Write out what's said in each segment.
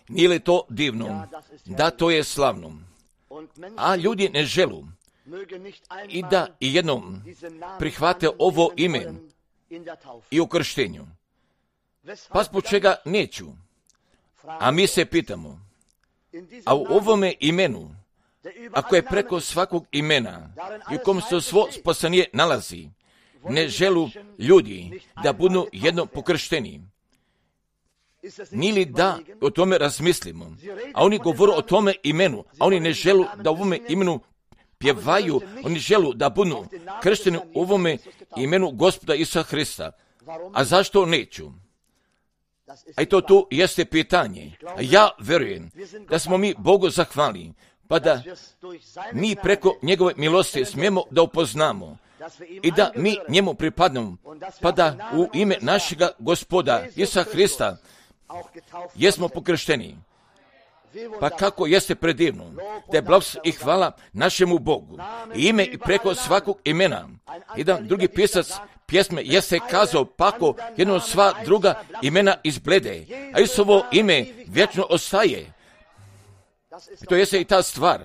Nije li to divno? Da, to je slavno. A ljudi ne želu i da i jednom prihvate ovo ime i u krštenju. Pa zbog čega neću? A mi se pitamo, a u ovome imenu, ako je preko svakog imena i u kom se svo spasanje nalazi, ne želu ljudi da budu jedno pokršteni. Nije li da o tome razmislimo? A oni govore o tome imenu, a oni ne želu da u ovome imenu pjevaju, oni želu da budu kršteni u ovome imenu Gospoda Isusa Hrista. A zašto neću? A i to tu jeste pitanje. A ja vjerujem da smo mi Bogu zahvali, pa da mi preko njegove milosti smijemo da upoznamo i da mi njemu pripadnemo, pa da u ime našega Gospoda Isusa Hrista jesmo pokršteni. Pa kako jeste predivno, da je blagoslov i hvala našemu Bogu. I ime i preko svakog imena. Jedan drugi pisac pjesme jeste kazao, pako jedno sva druga imena izblede, a Isusovo ime vječno ostaje. To jeste i ta stvar.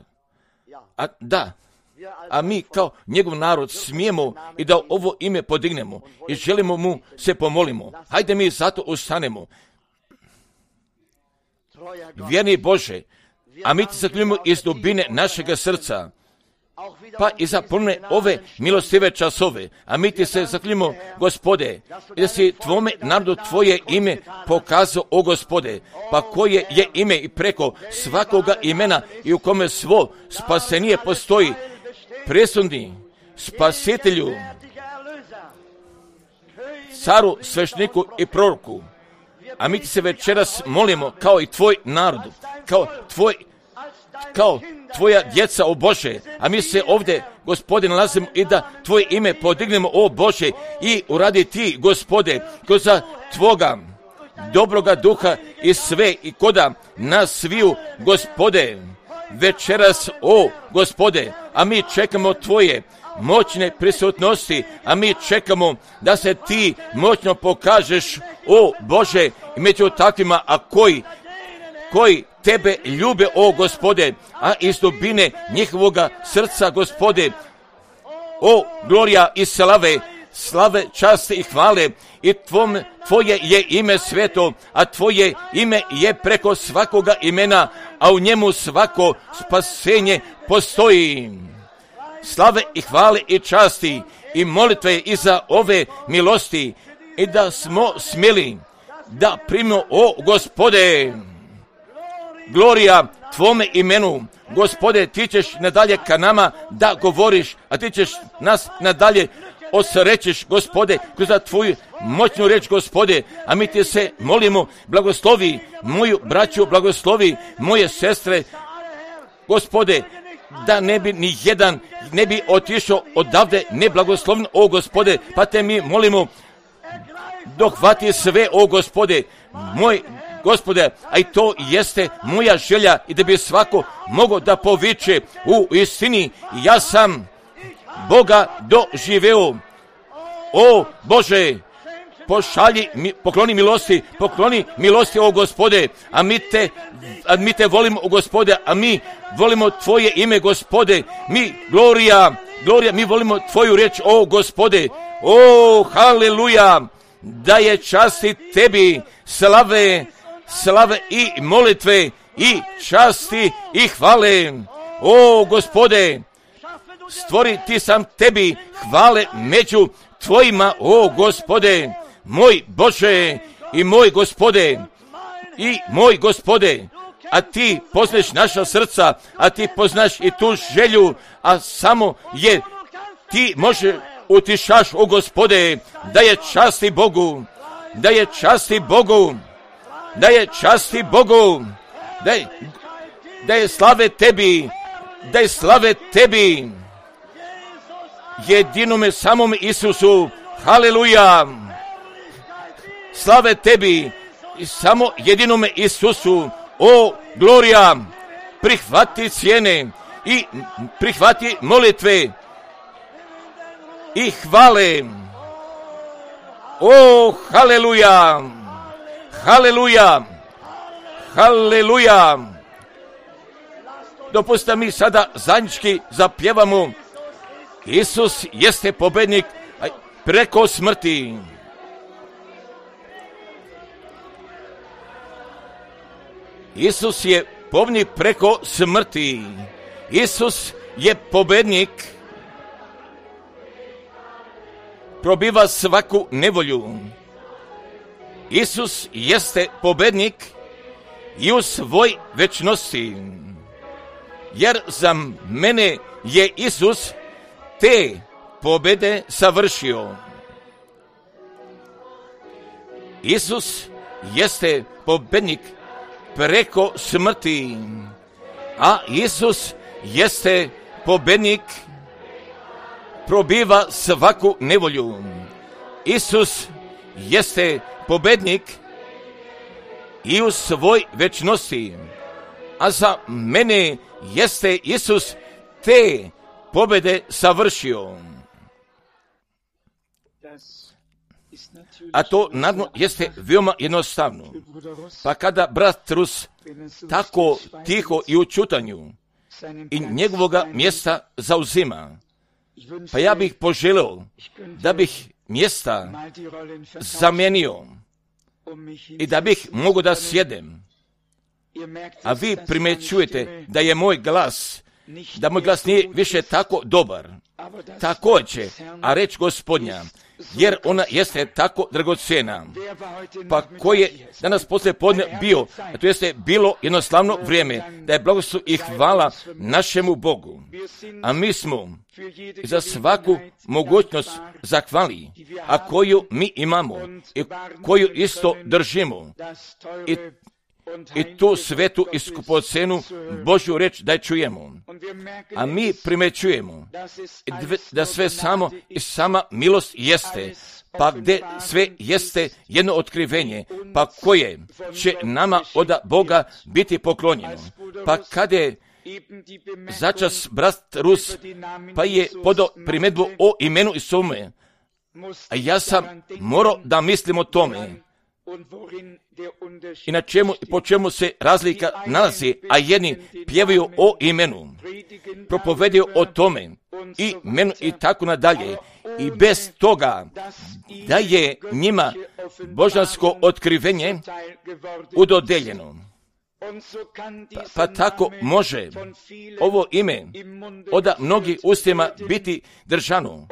A mi kao njegov narod smijemo i da ovo ime podignemo i želimo mu se pomolimo. Hajde mi zato ustanemo. Vjerni Bože, a mi ti zaklinjamo iz dubine našega srca, pa i za pune ove milostive časove, a mi ti se zaklinjamo, Gospode, i da si tvome narodu tvoje ime pokazao, o Gospode, pa koje je ime i preko svakoga imena i u kome svo spasenije postoji, presudni spasitelju, caru, svešniku i proroku. A mi ti se večeras molimo kao i tvoj narod, kao tvoja djeca, o Bože, a mi se ovdje, Gospode, nalazimo i da tvoje ime podignemo, o Bože, i uradi ti, Gospode, kroz tvoga dobroga duha i sve i koda nas sviju, Gospode, večeras, o Gospode, a mi čekamo tvoje moćne prisutnosti, a mi čekamo da se ti moćno pokažeš, o Bože, i među takvima, a koji tebe ljube, o Gospode, a iz dubine njihovoga srca, Gospode, o glorija i slave, časti i hvale, i tvoje je ime sveto, a tvoje ime je preko svakoga imena, a u njemu svako spasenje postoji. Slave i hvale i časti i molitve i za ove milosti, i da smo smjeli da primimo, o Gospode, glorija tvome imenu. Gospode, ti ćeš nadalje ka nama da govoriš, a ti ćeš nas nadalje osrećiš, Gospode, kroz tvoju moćnu reč, Gospode, a mi ti se molimo, blagoslovi moju braću, blagoslovi moje sestre, Gospode, da ne bi ni jedan ne bi otišao odavde neblagoslovno, o Gospode, pa te mi molimo, dohvati sve, o Gospode, moj Gospode, a i to jeste moja želja, i da bi svako mogao da poviče, u istini ja sam Boga doživeo. O Bože, pokloni milosti, o Gospode, a mi te volimo, o Gospode, a mi volimo tvoje ime, Gospode, mi glorija, mi volimo tvoju riječ, o Gospode, o haleluja, da je časti tebi, slave i molitve i časti i hvale, o Gospode, stvoriti sam tebi hvale među tvojima, o Gospode, moj Bože i moj Gospode, a ti poznaš naša srca, a ti poznaš i tu želju, a samo je ti može utišaš, o Gospode, da je časti Bogu, da je slave tebi, jedinome samom Isusu, haleluja, slave tebi, samo jedinome Isusu, o glorija, prihvati cijene i prihvati molitve i hvale, o haleluja, Haleluja! Dopustite mi sada zajednički zapjevamo. Isus jeste pobjednik preko smrti. Isus je pobjednik preko smrti. Isus je pobjednik. Probiva svaku nevolju. Isus jeste pobjednik i u svoj večnosti. Jer za mene je Isus te pobjede savršio. Isus jeste pobjednik preko smrti, a Isus jeste pobjednik, probiva svaku nevolju. Isus jeste pobjednik i u svoj večnosti, a za mene jeste Isus te pobjede savršio. A to naravno jeste veoma jednostavno. Pa kada brat Rus tako tiho i u čutanju i njegovoga mjesta zauzima, pa ja bih poželio da bih mjesta zamijenio i da bih mogu da sjedem. A vi primjećujete da je moj glas nije više tako dobar. Također, a reč Gospodnja, jer ona jeste tako dragocjena. Pa ko je danas poslije podne bio, a to jeste bilo jednostavno vrijeme, da je blagoslov i hvala našemu Bogu. A mi smo za svaku mogućnost zahvali, a koju mi imamo i koju isto držimo. I tu svetu i skupocenu Božju reč da je čujemo. A mi primećujemo da sve samo i sama milost jeste, pa gdje sve jeste jedno otkrivenje, pa koje će nama od Boga biti poklonjeno. Pa kad je začas brat Rus, pa je podao primjedbu o imenu i svome, a ja sam morao da mislim o tome. I na čemu i po čemu se razlika nalazi, a jedni pjevaju o imenu, propovedaju o tome, i imenu i tako nadalje. I bez toga da je njima božansko otkrivenje udodeljeno. Pa tako može ovo ime od mnogih ustima biti držano,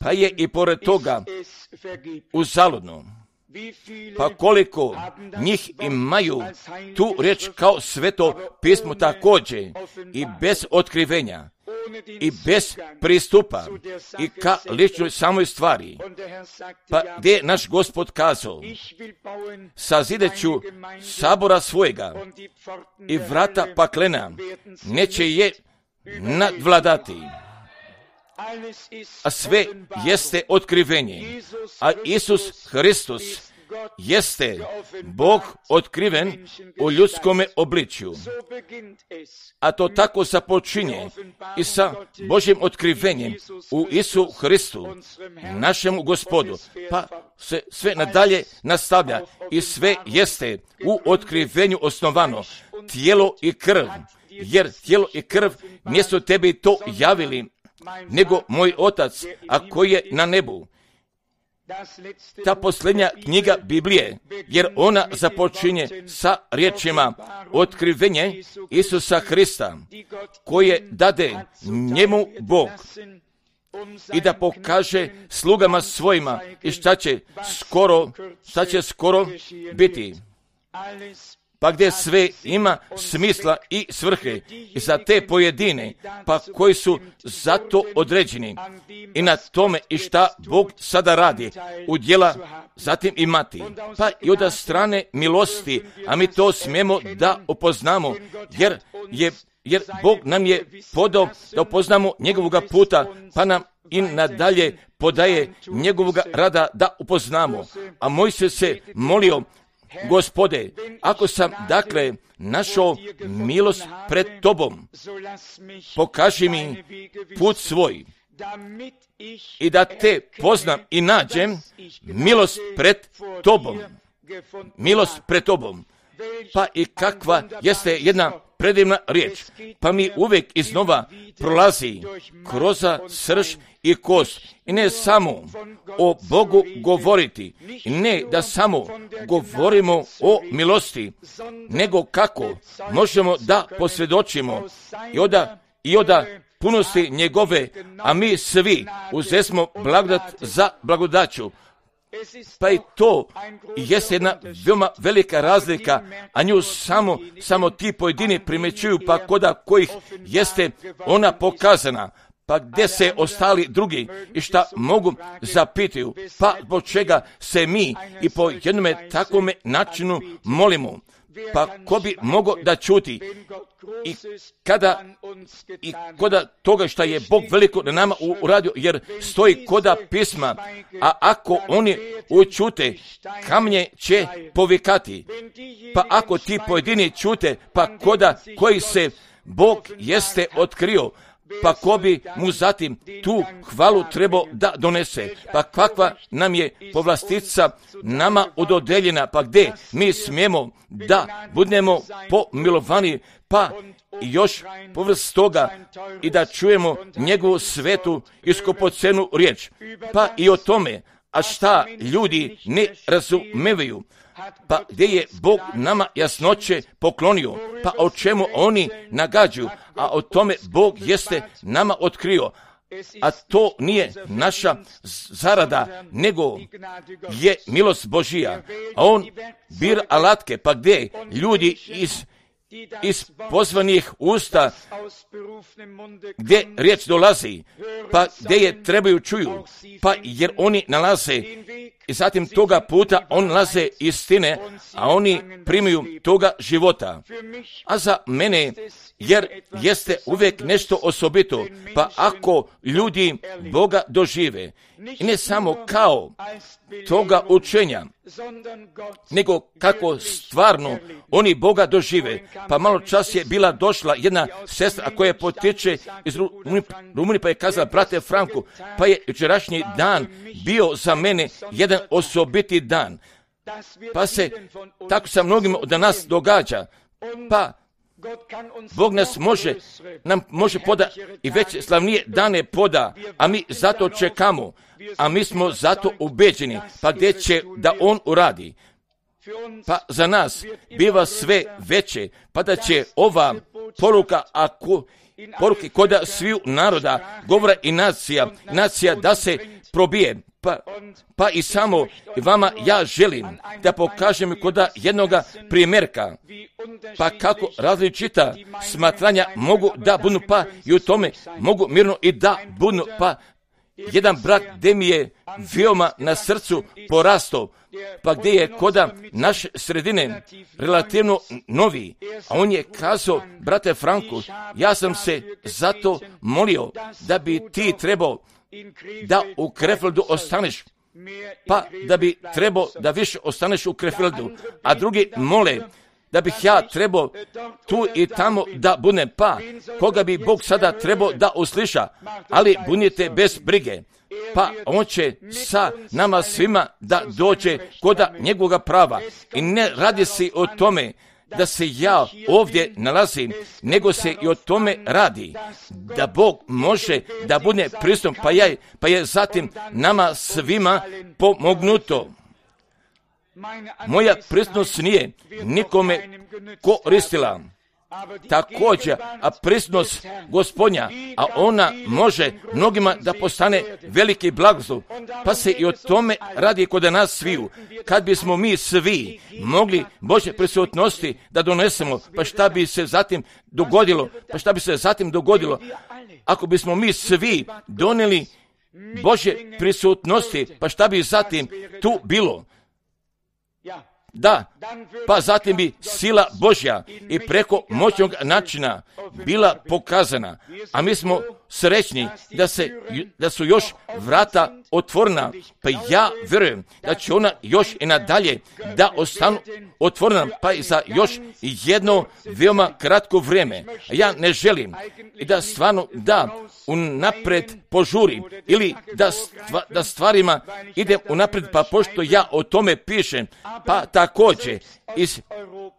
pa je i pored toga uzaludno. Pa koliko njih imaju tu riječ kao sveto pismo također i bez otkrivenja i bez pristupa i ka ličnoj samoj stvari. Pa gdje je naš Gospod kazao, sazidat ću sabora svojega i vrata paklena neće je nadvladati. A sve jeste otkrivenje, a Isus Hristos jeste Bog otkriven u ljudskome obličju. A to tako započinje i sa Božjim otkrivenjem u Isu Hristu, našemu Gospodu, pa se sve nadalje nastavlja i sve jeste u otkrivenju osnovano, tijelo i krv, jer tijelo i krv mjesto tebi to javili, nego moj Otac, a koji je na nebu. Ta posljednja knjiga Biblije, jer ona započinje sa riječima otkrivenje Isusa Hrista, koje dade njemu Bog i da pokaže slugama svojima i šta će skoro biti. Pa gdje sve ima smisla i svrhe i za te pojedine, pa koji su za to određeni i na tome i šta Bog sada radi u djela zatim imati. Pa i od strane milosti, a mi to smijemo da upoznamo, jer Bog nam je podao da upoznamo njegovoga puta, pa nam i nadalje podaje njegovoga rada da upoznamo. A Mojsije se molio, Gospode, ako sam dakle našao milost pred tobom, pokaži mi put svoj i da te poznam i nađem milost pred tobom. Milost pred tobom. Pa i kakva jeste jedna predivna riječ, pa mi uvijek iznova prolazi kroz srž i kost. I ne samo o Bogu govoriti, i ne da samo govorimo o milosti, nego kako možemo da posvjedočimo i od punosti njegove, a mi svi uzesmo blagodat za blagodaću. Pa i to jeste jedna veoma velika razlika, a nju samo ti pojedini primjećuju, pa koda kojih jeste ona pokazana. Pa gdje se ostali drugi i šta mogu zapitaju, pa zbog čega se mi i po jednome takvome načinu molimo. Pa ko bi mogao da čuti i koda toga što je Bog veliko na nama uradio, jer stoji koda pisma, a ako oni učute, kamnje će povikati. Pa ako ti pojedini čute, pa koda koji se Bog jeste otkrio, pa ko bi mu zatim tu hvalu trebao da donese. Pa kakva nam je povlastica nama ododeljena, pa gdje mi smijemo da budemo pomilovani, pa još povrst toga i da čujemo njegovu svetu i skupocenu riječ. Pa i o tome, a šta ljudi ne razumevaju, pa gdje je Bog nama jasnoće poklonio, pa o čemu oni nagađaju, a o tome Bog jeste nama otkrio. A to nije naša zarada, nego je milost Božija. A on bira alatke, pa gdje ljudi iz pozvanih usta, gdje riječ dolazi, pa gdje je trebaju čuju, pa jer oni nalaze i zatim toga puta on nalaze istine, a oni primaju toga života. A za mene, jer jeste uvijek nešto osobito, pa ako ljudi Boga dožive, i ne samo kao toga učenja, nego kako stvarno oni Boga dožive. Pa malo čas je bila došla jedna sestra koja potiče iz Rumunije, pa je kazala, brate Franku, pa je jučerašnji dan bio za mene jedan osobiti dan. Pa se tako sa mnogim od nas događa. Pa Bog nam može poda i već slavnije dane poda, a mi zato čekamo, a mi smo zato ubeđeni, pa gdje će da on uradi. Pa za nas biva sve veće, pa da će ova poruka, poruke koda sviju naroda, govora i nacija da se probije. Pa i samo vama ja želim da pokažem koda jednoga primjerka, pa kako različita smatranja mogu da budu, pa i u tome mogu mirno i da budu, pa jedan brak gdje mi je veoma na srcu porastao, pa gdje je koda naše sredine relativno novi, a on je kazao, brate Franku, ja sam se zato molio da bi ti trebao da u Krefeldu ostaneš, pa da bi trebao da više ostaneš u Krefeldu, a drugi mole da bih ja trebao tu i tamo da budem, pa koga bi Bog sada trebao da usliša, ali budite bez brige, pa on će sa nama svima da dođe koda njegovoga prava. I ne radi se o tome da se ja ovdje nalazim, nego se i o tome radi, da Bog može da bude prisutan, pa je zatim nama svima pomognuto. Moja prisutnost nije nikome koristila. Također, a prisutnost Gospodnja, a ona može mnogima da postane veliki blagoslov, pa se i o tome radi kod nas sviju. Kad bismo mi svi mogli Božje prisutnosti da donesemo, pa šta bi se zatim dogodilo, ako bismo mi svi donijeli Božje prisutnosti, pa šta bi zatim tu bilo? Da, pa zatim bi sila Božja i preko moćnog načina bila pokazana, a mi smo srećni da su još vrata otvorena, pa ja vjerujem da će ona još i nadalje da ostanu otvorena, pa i za još jedno veoma kratko vrijeme. Ja ne želim i da stvarno da unapred požurim ili da stvarima idem unapred, pa pošto ja o tome pišem, pa također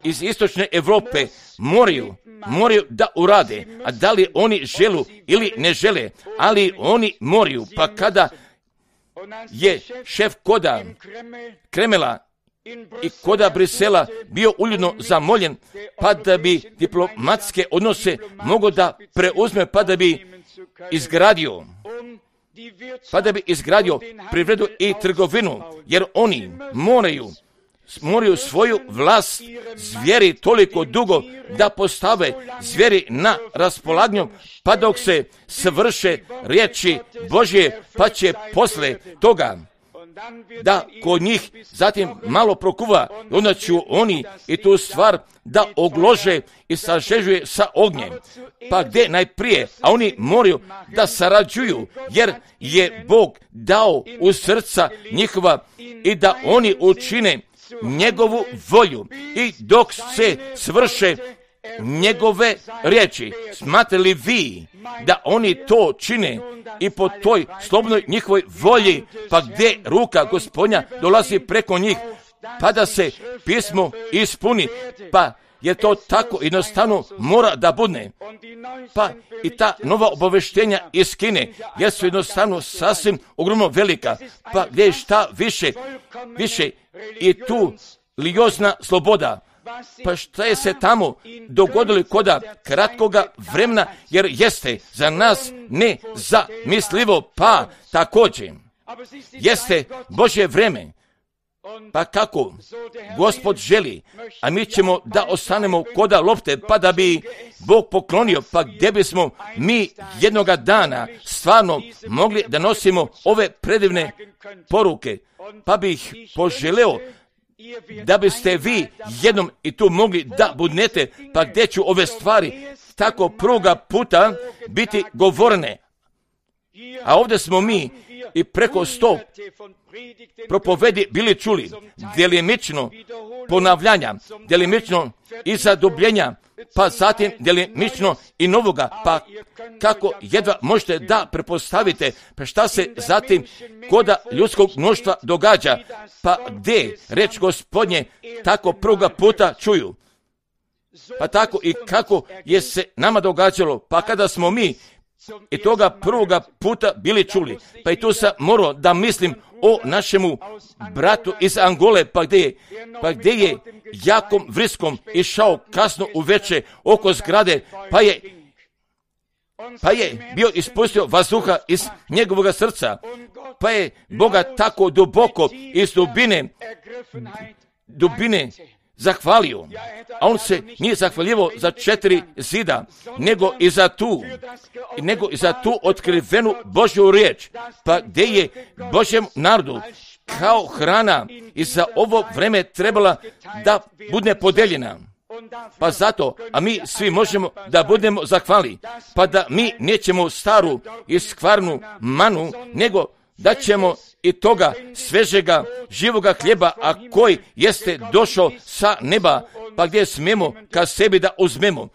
iz istočne Europe moraju da urade, a da li oni želu ili ne žele, ali oni moraju. Pa kada je šef koda Kremela i koda Brisela bio uljudno zamoljen, pa da bi diplomatske odnose mogao da preuzme, pa da bi izgradio privredu i trgovinu, jer oni moraju svoju vlast zvijeri toliko dugo da postave zvijeri na raspolaganju, pa dok se svrše riječi Božje, pa će posle toga da kod njih zatim malo prokuva, onda će oni i tu stvar da oglože i sažežuje sa ognjem. Pa gdje najprije, a oni moraju da sarađuju, jer je Bog dao u srca njihova i da oni učine njegovu volju. I dok se svrše njegove riječi, smatrate li vi da oni to čine i po toj slobodnoj njihovoj volji, pa gdje ruka Gospodnja dolazi preko njih, pa da se pismo ispuni, pa jer to tako jednostavno mora da bude. Pa i ta nova obaveštenja iz Kine, jer su jednostavno sasvim ogromno velika, pa gdje je šta više i tu religiozna sloboda. Pa šta je se tamo dogodilo koda kratkoga vremena, jer jeste za nas nezamislivo, pa također jeste Božje vreme. Pa kako Gospod želi, a mi ćemo da ostanemo koda lopte, pa da bi Bog poklonio, pa gdje bismo mi jednoga dana stvarno mogli da nosimo ove predivne poruke, pa bih poželeo da biste vi jednom i tu mogli da budnete, pa gdje ću ove stvari tako prvoga puta biti govorene. A ovdje smo mi i preko 100 propovedi bili čuli, djelimično ponavljanja, djelimično i zadubljenja, pa zatim djelimično i novoga, pa kako jedva možete da prepostavite, pa šta se zatim koda ljudskog mnoštva događa, pa gdje reč Gospodnje tako prvoga puta čuju. Pa tako i kako je se nama događalo, pa kada smo mi i toga prvoga puta bili čuli, pa i tu sam morao da mislim o našemu bratu iz Angole, pa gdje je jakom vriskom išao kasno uveče oko zgrade, pa je bio ispustio vazduha iz njegovog srca, pa je Boga tako duboko iz dubine zahvalio, a on se nije zahvaljivao za 4 zida, nego i za tu otkrivenu Božju riječ, pa gdje je Božjem narodu kao hrana i za ovo vreme trebala da bude podeljena. Pa zato, a mi svi možemo da budemo zahvali, pa da mi nećemo staru i skvarnu manu, nego da ćemo i toga svežega živoga hljeba, a koji jeste došao sa neba, pa gdje smemo ka sebi da uzmemo,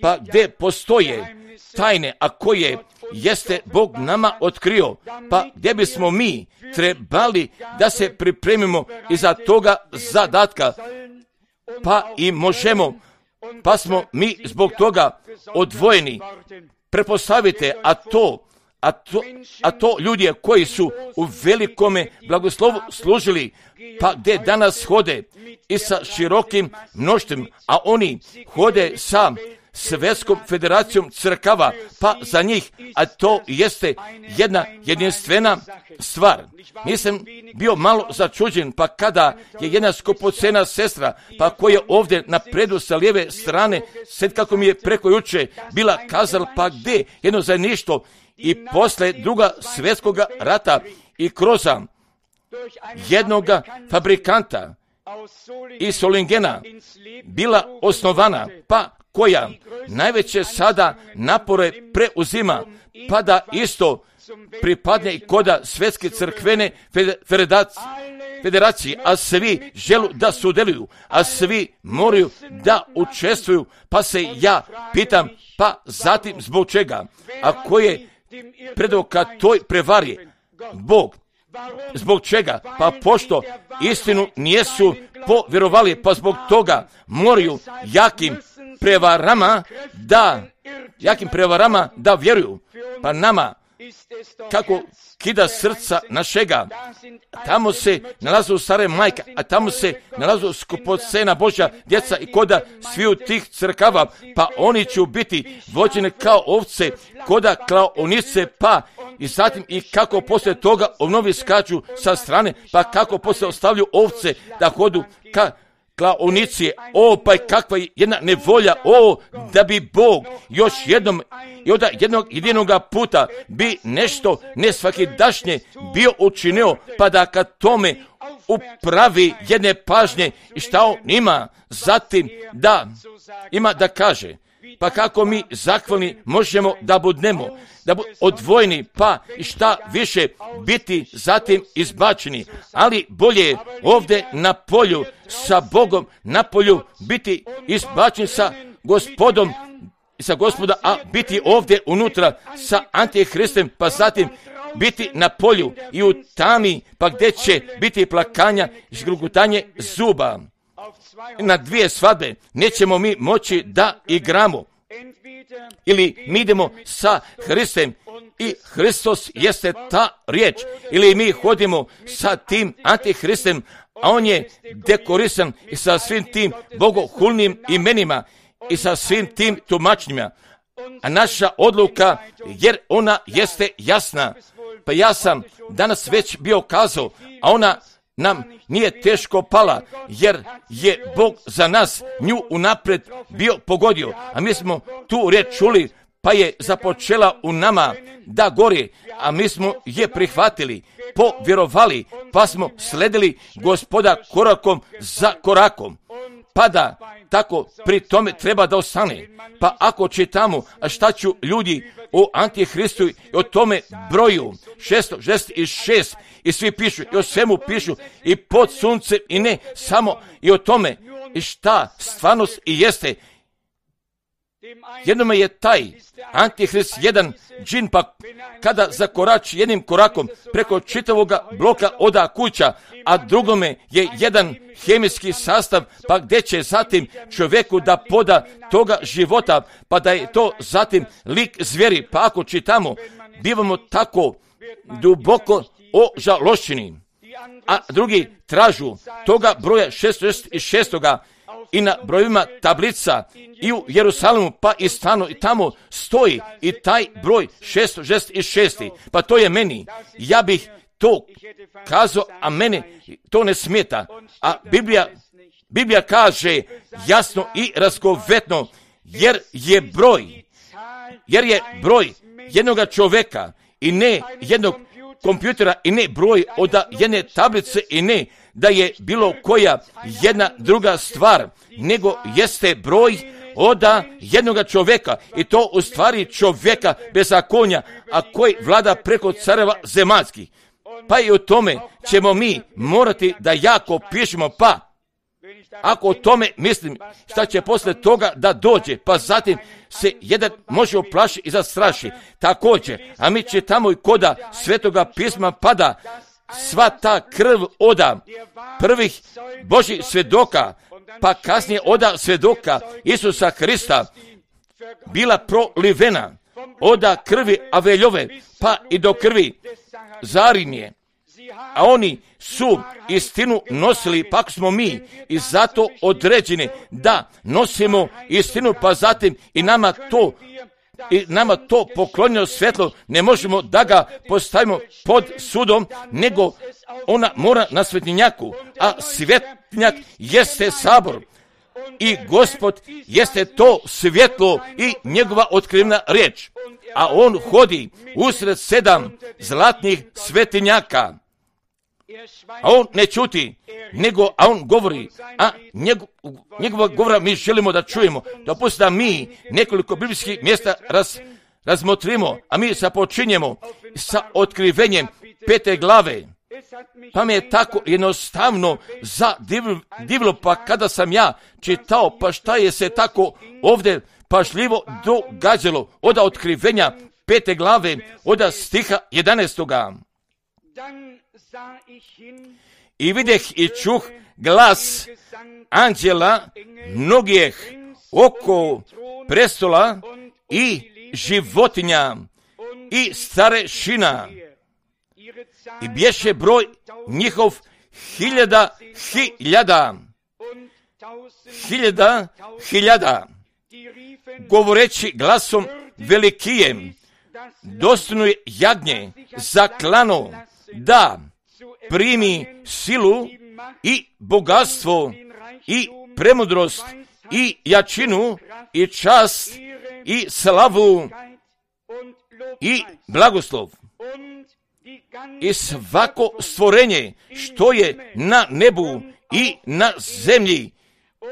pa gdje postoje tajne, a koje jeste Bog nama otkrio, pa gdje bismo mi trebali da se pripremimo iza toga zadatka, pa i možemo, pa smo mi zbog toga odvojeni. Prepostavite, a to ljudi koji su u velikome blagoslovu služili, pa gdje danas hode i sa širokim mnoštvom, a oni hode sa Svjetskom federacijom crkava, pa za njih, a to jeste jedna jedinstvena stvar. Nisam bio malo začuđen, pa kada je jedna skupocena sestra, pa koja je ovdje na predu sa lijeve strane, sad kako mi je preko juče bila kazala, pa gdje jedno zajedništvo i posle Druga svjetskog rata i kroz jednoga fabrikanta iz Solingena bila osnovana, pa koja najveće sada napore preuzima, pa da isto pripadne i koda Svjetske crkvene federacije, a svi želu da sudjeluju, a svi moraju da učestvuju, pa se ja pitam, pa zatim zbog čega, a ko je predao ka toj prevari? Bog. Zbog čega? Pa pošto istinu nijesu povjerovali, pa zbog toga moraju jakim prevarama da vjeruju. Pa nama, kako kida srca našega, tamo se nalazu stare majke, a tamo se nalazu skupocena Božja djeca i koda sviju tih crkava, pa oni će biti vođene kao ovce, koda klaonice, pa i zatim i kako poslije toga ovnovi skaču sa strane, pa kako poslije ostavlju ovce da hodu ka klaonici. Pa kakva jedna nevolja, da bi Bog još jednom i od jednog jedinoga puta bi nešto nesvakidašnje bio učinio, pa da kad tome upravi jedne pažnje i šta on ima zatim da ima da kaže. Pa kako mi zahvalni možemo da budemo, odvojeni, pa i šta više biti zatim izbačeni, ali bolje je ovdje na polju sa Bogom, na polju biti izbačen sa Gospodom, sa Gospoda, a biti ovdje unutra sa Antihristom, pa zatim biti na polju i u tami, pa gdje će biti plakanja i zgrugutanje zuba. Na dvije svadbe nećemo mi moći da igramo. Ili mi idemo sa Hristom i Hristos jeste ta riječ, ili mi hodimo sa tim Antihristom, a on je dekorisan i sa svim tim bogohulnim imenima i sa svim tim tumačenjima. A naša odluka, jer ona jeste jasna, pa ja sam danas već bio kazao, a ona nam nije teško pala, jer je Bog za nas nju unaprijed bio pogodio, a mi smo tu riječ čuli, pa je započela u nama da gori, a mi smo je prihvatili, povjerovali, pa smo sledili Gospoda korakom za korakom, pa da tako pri tome treba da ostane. Pa ako čitamo, a šta ću ljudi o Antihristu i o tome broju 666 i svi pišu i o svemu pišu i pod suncem i ne samo i o tome i šta stvarnost i jeste. Jednome je taj Antihrist jedan džin, pa kada zakorači jednim korakom preko čitavoga bloka oda kuća, a drugome je jedan hemijski sastav, pa gdje će zatim čovjeku da poda toga života, pa da je to zatim lik zvijeri. Pa ako čitamo, bivamo tako duboko ožalošćeni, a drugi tražu toga broja 666 i na brojima tablica i u Jerusalimu, pa i stano i tamo stoji i taj broj 666. Pa to je meni. Ja bih to kazao, a mene to ne smeta. A Biblija kaže jasno i razgovetno, jer je broj jednog čovjeka i ne jednog kompjutera i ne broj od jedne tablice i ne da je bilo koja jedna druga stvar, nego jeste broj od jednog čovjeka i to u stvari čovjeka bezakonja, a koji vlada preko careva zemaljskih. Pa i o tome ćemo mi morati da jako pišemo, pa ako o tome mislim šta će posle toga da dođe, pa zatim se jedan može oplaši i zastraši. Također, a mi čitamo i koda Svetoga pisma pada sva ta krv oda prvih Božih svjedoka, pa kasnije oda svjedoka Isusa Hrista bila prolivena oda krvi Aveljove, pa i do krvi Zarinje. A oni su istinu nosili, pa smo mi i zato određeni da nosimo istinu, pa zatim i nama to poklonjeno svjetlo ne možemo da ga postavimo pod sudom, nego ona mora na svetinjaku, a svetinjak jeste sabor i Gospod jeste to svjetlo i njegova otkrivena riječ, a on hodi usred 7 zlatnih svetinjaka. A on ne čuti, a on govori, a njegova govora mi želimo da čujemo. Dopustite da mi nekoliko biblijskih mjesta razmotrimo, a mi započinjemo sa otkrivenjem 5. glave. Pa mi je tako jednostavno zadivilo, pa kada sam ja čitao, pa šta je se tako ovdje pažljivo događalo od otkrivenja 5. glave, od stiha 11. I videh i čuh glas anđela mnogih oko prestola i životinja i starešina. I bješe broj njihov 1000, govoreći glasom velikijem, dostojno je jagnje za klano da primi silu i bogatstvo i premudrost i jačinu i čast i slavu i blagoslov. I svako stvorenje što je na nebu i na zemlji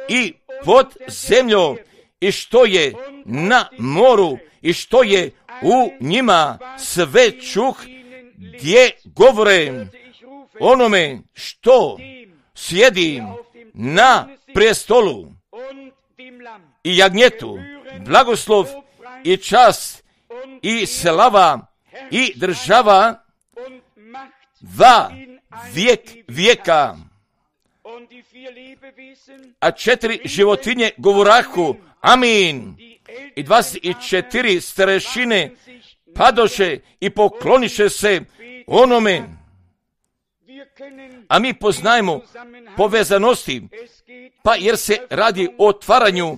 i pod zemljom i što je na moru i što je u njima, sve čuh gdje govore onome što sjedi na prestolu i jagnjetu, blagoslov i čast i slava i država va vijek vijeka. A 4 životinje govorahu amin. I 24 starešine padoše i pokloniše se onome. A mi poznajemo povezanosti, pa jer se radi o otvaranju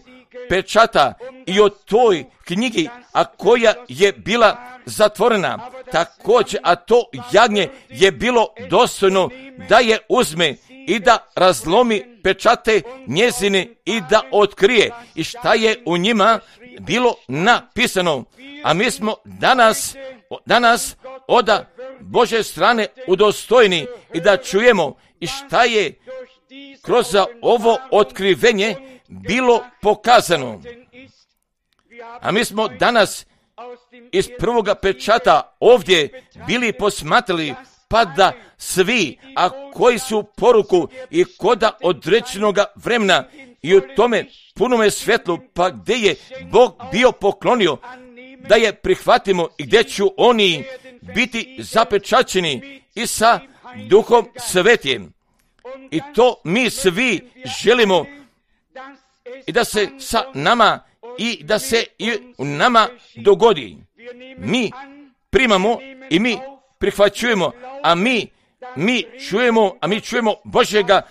pečata i o toj knjigi, a koja je bila zatvorena. Također, a to jagnje je bilo dostojno da je uzme i da razlomi pečate njezine i da otkrije i šta je u njima bilo napisano. A mi smo danas od Božje strane udostojni i da čujemo i šta je kroz ovo otkrivenje bilo pokazano. A mi smo danas iz prvoga pečata ovdje bili posmatrali, pa da svi, a koji su poruku i koda određenoga vremena i u tome punome svjetlu, pa gdje je Bog bio poklonio da je prihvatimo i gdje ću oni biti zapečaćeni i sa Duhom Svetim. I to mi svi želimo i da se sa nama i da se i u nama dogodi. Mi primamo i mi prihvaćujemo, a mi čujemo Božjega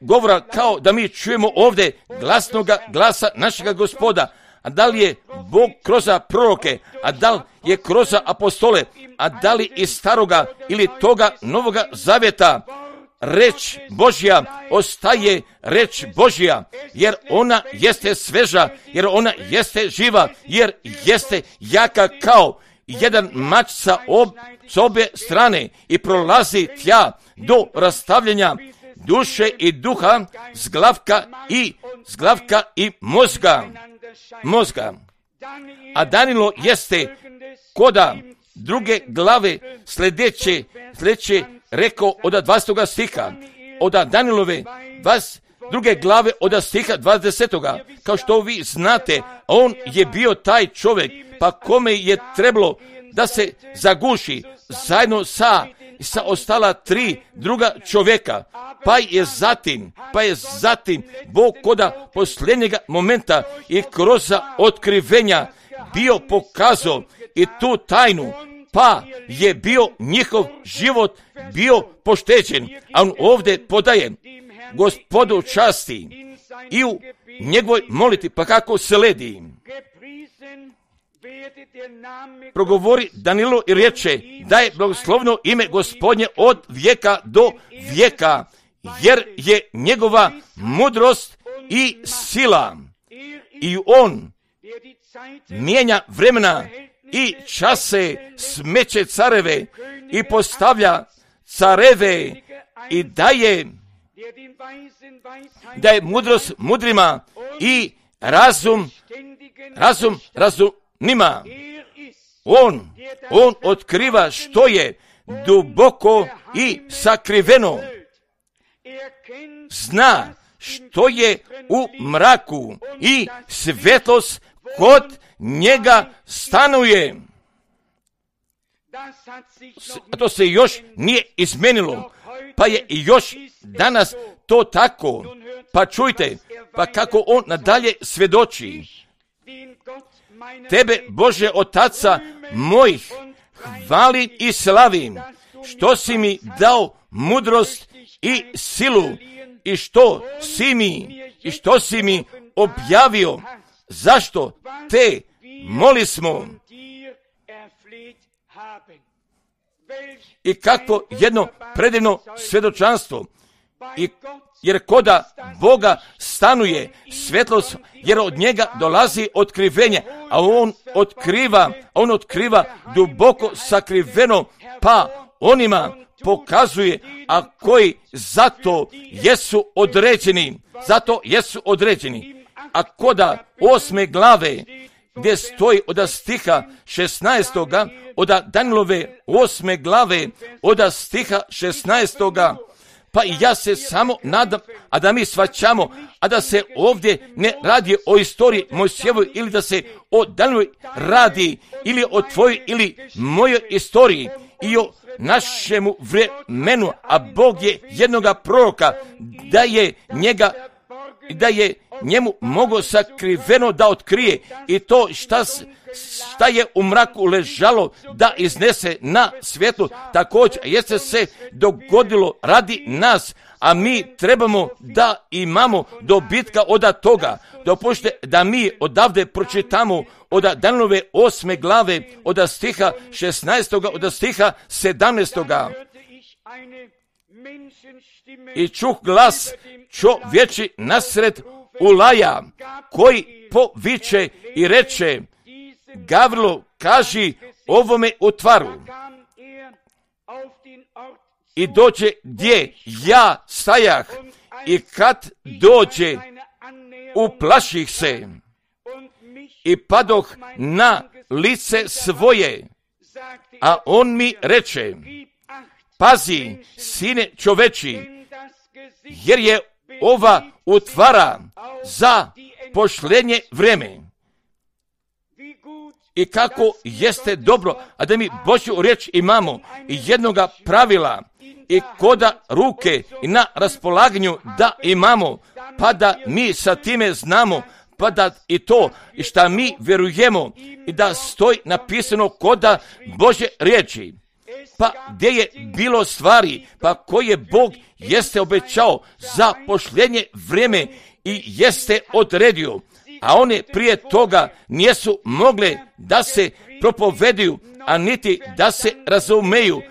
govora kao da mi čujemo ovdje glasnoga glasa našega Gospoda. A da li je Bog kroz proroke, a da li je kroz apostole, a da li iz staroga ili toga novoga zavjeta, reč Božja ostaje reč Božja, jer ona jeste sveža, jer ona jeste živa, jer jeste jaka kao jedan mač sa obje strane i prolazi tja do rastavljanja duše i duha, zglavka i mozga. A Danilo jeste koda druge glave sljedeće rekao od 20. stiha, od Danilove druge glave od stiha 20. Kao što vi znate, on je bio taj čovjek, pa kome je trebalo da se zaguši zajedno sa ostala 3 druga čovjeka, pa je zatim Bog koda posljednjega momenta i kroz otkrivenja bio pokazao i tu tajnu, pa je bio njihov život bio pošteđen. A on ovdje podaje Gospodu časti i u njegovoj moliti, pa kako se ledi. Progovori Danilo i reče da je blagoslovno ime Gospodnje od vijeka do vijeka, jer je njegova mudrost i sila. I on mijenja vremena i čase, smeće careve i postavlja careve i daje mudrost mudrima i razum razumnima. On otkriva što je duboko i sakriveno. Zna što je u mraku i svjetlost kod njega stanuje. to se još nije izmenilo, pa je i još danas to tako. Pa čujte, pa kako on nadalje svjedoči. Tebe, Bože Otaca mojih, hvalim i slavim, što si mi dao mudrost i silu i što si mi objavio. Zašto te molismo? I kako jedno predivno svjedočanstvo. Jer koda Boga stanuje svjetlost, jer od njega dolazi otkrivenje, a on otkriva duboko sakriveno, pa onima pokazuje, a koji zato jesu određeni. A koda 8. glave, gdje stoji od stiha 16. od Danilove 8. glave, od stiha 16. Pa i ja se samo nadam, a da mi shvaćamo, a da se ovdje ne radi o istoriji Mojsijevoj, ili da se o Danilovoj radi, ili o tvojoj ili mojoj istoriji i o našemu vremenu, a Bog je jednoga proroka, da je njemu mogao sakriveno da otkrije i to šta je u mraku ležalo da iznese na svjetlu. Također jeste se dogodilo radi nas, a mi trebamo da imamo dobitka od toga. Dopušte da mi odavde pročitamo od Danilove 8. glave, od stiha 16. od stiha 17. I čuh glas čovječi nasred ulaja, koji poviče i reče: Gavrilo, kaži ovome utvaru. I dođe gdje ja stajah, i kad dođe, uplaših se i padoh na lice svoje. A on mi reče: pazi, sine čoveči, jer je ova utvara za pošljenje vreme. I kako jeste dobro, a da mi Božju riječ imamo i jednoga pravila i koda ruke i na raspolaganju da imamo, pa da mi sa time znamo, pa da i to i šta mi vjerujemo i da stoji napisano koda Božje riječi. Pa gdje je bilo stvari, pa koje Bog jeste obećao za pošljenje vrijeme i jeste odredio, a one prije toga nisu mogle da se propoveduju, a niti da se razumeju.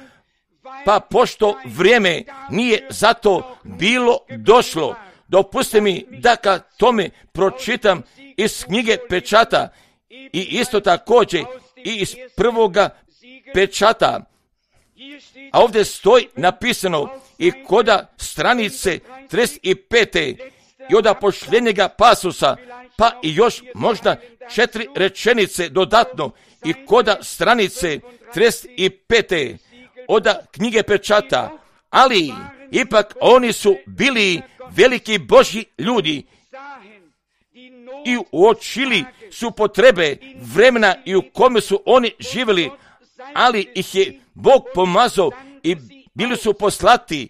Pa pošto vrijeme nije zato bilo došlo, dopustite mi da ka tome pročitam iz knjige pečata i isto također i iz prvoga pečata. A ovdje stoji napisano i koda stranice 35. i od pošljenjega pasusa, pa i još možda 4 rečenice dodatno i koda stranice 35. od knjige pečata. Ali ipak oni su bili veliki Božji ljudi i uočili su potrebe vremena i u kome su oni živjeli, ali ih je Bog pomazao i bili su poslati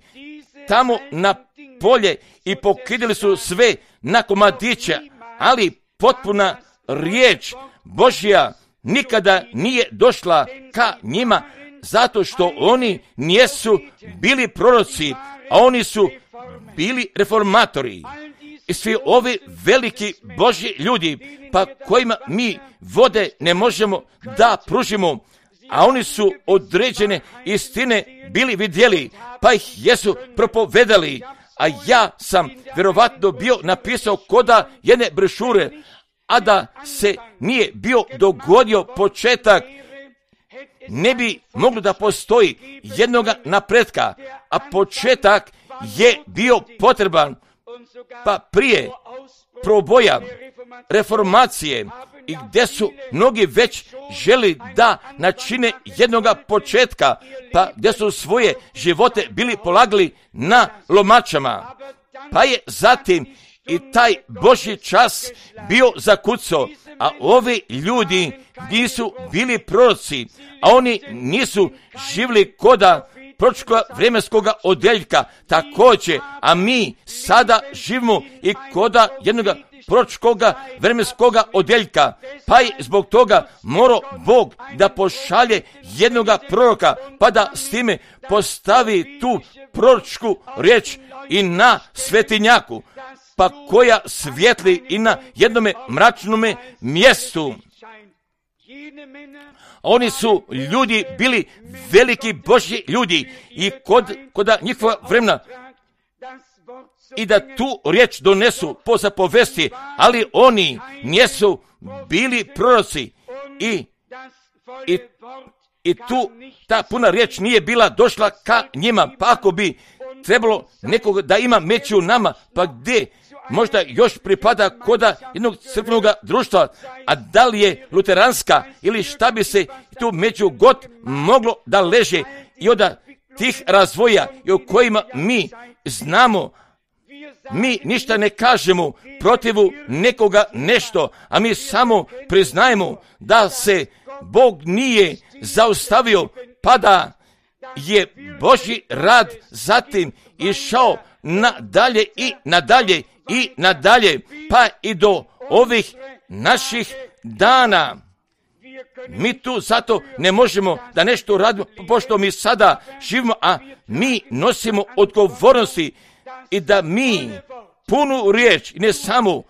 tamo na polje i pokidali su sve na komadiće, ali potpuna riječ Božja nikada nije došla ka njima, zato što oni nisu bili proroci, a oni su bili reformatori. I svi ovi veliki Božji ljudi, pa kojima mi vode ne možemo da pružimo, a oni su određene istine bili vidjeli, pa ih jesu propovedali, a ja sam vjerovatno bio napisao koda jedne brošure, a da se nije bio dogodio početak, ne bi moglo da postoji jednoga napretka, a početak je bio potreban, pa prije proboja reformacije i gdje su mnogi već želi da načine jednoga početka, pa gdje su svoje živote bili polagali na lomačama, pa je zatim i taj Božji čas bio zakucao, A ovi ljudi nisu bili proroci, a oni nisu živjeli koda proročkoga vremenskoga odeljka također, a mi sada živimo i koda jednoga proročkoga vremenskoga odeljka, pa i zbog toga mora Bog da pošalje jednoga proroka, pa da s time postavi tu proročku riječ i na svetinjaku, pa koja svijetli i na jednome mračnome mjestu. Oni su ljudi bili veliki Božji ljudi i koda njihova vremena i da tu riječ donesu po zapovesti, ali oni nisu bili proroci i tu ta puna riječ nije bila došla ka njima, pa ako bi trebalo nekog da ima među nama, pa gdje možda još pripada koda jednog crkvenog društva, a da li je luteranska ili šta bi se tu među god moglo da leže i od tih razvoja i o kojima mi znamo, mi ništa ne kažemo protivu nekoga nešto, a mi samo priznajemo da se Bog nije zaustavio, pa da je Božji rad zatim išao nadalje i nadalje i nadalje, pa i do ovih naših dana. Mi tu zato ne možemo da nešto radimo, pošto mi sada živimo, a mi nosimo odgovornosti i da mi punu riječ, i ne samo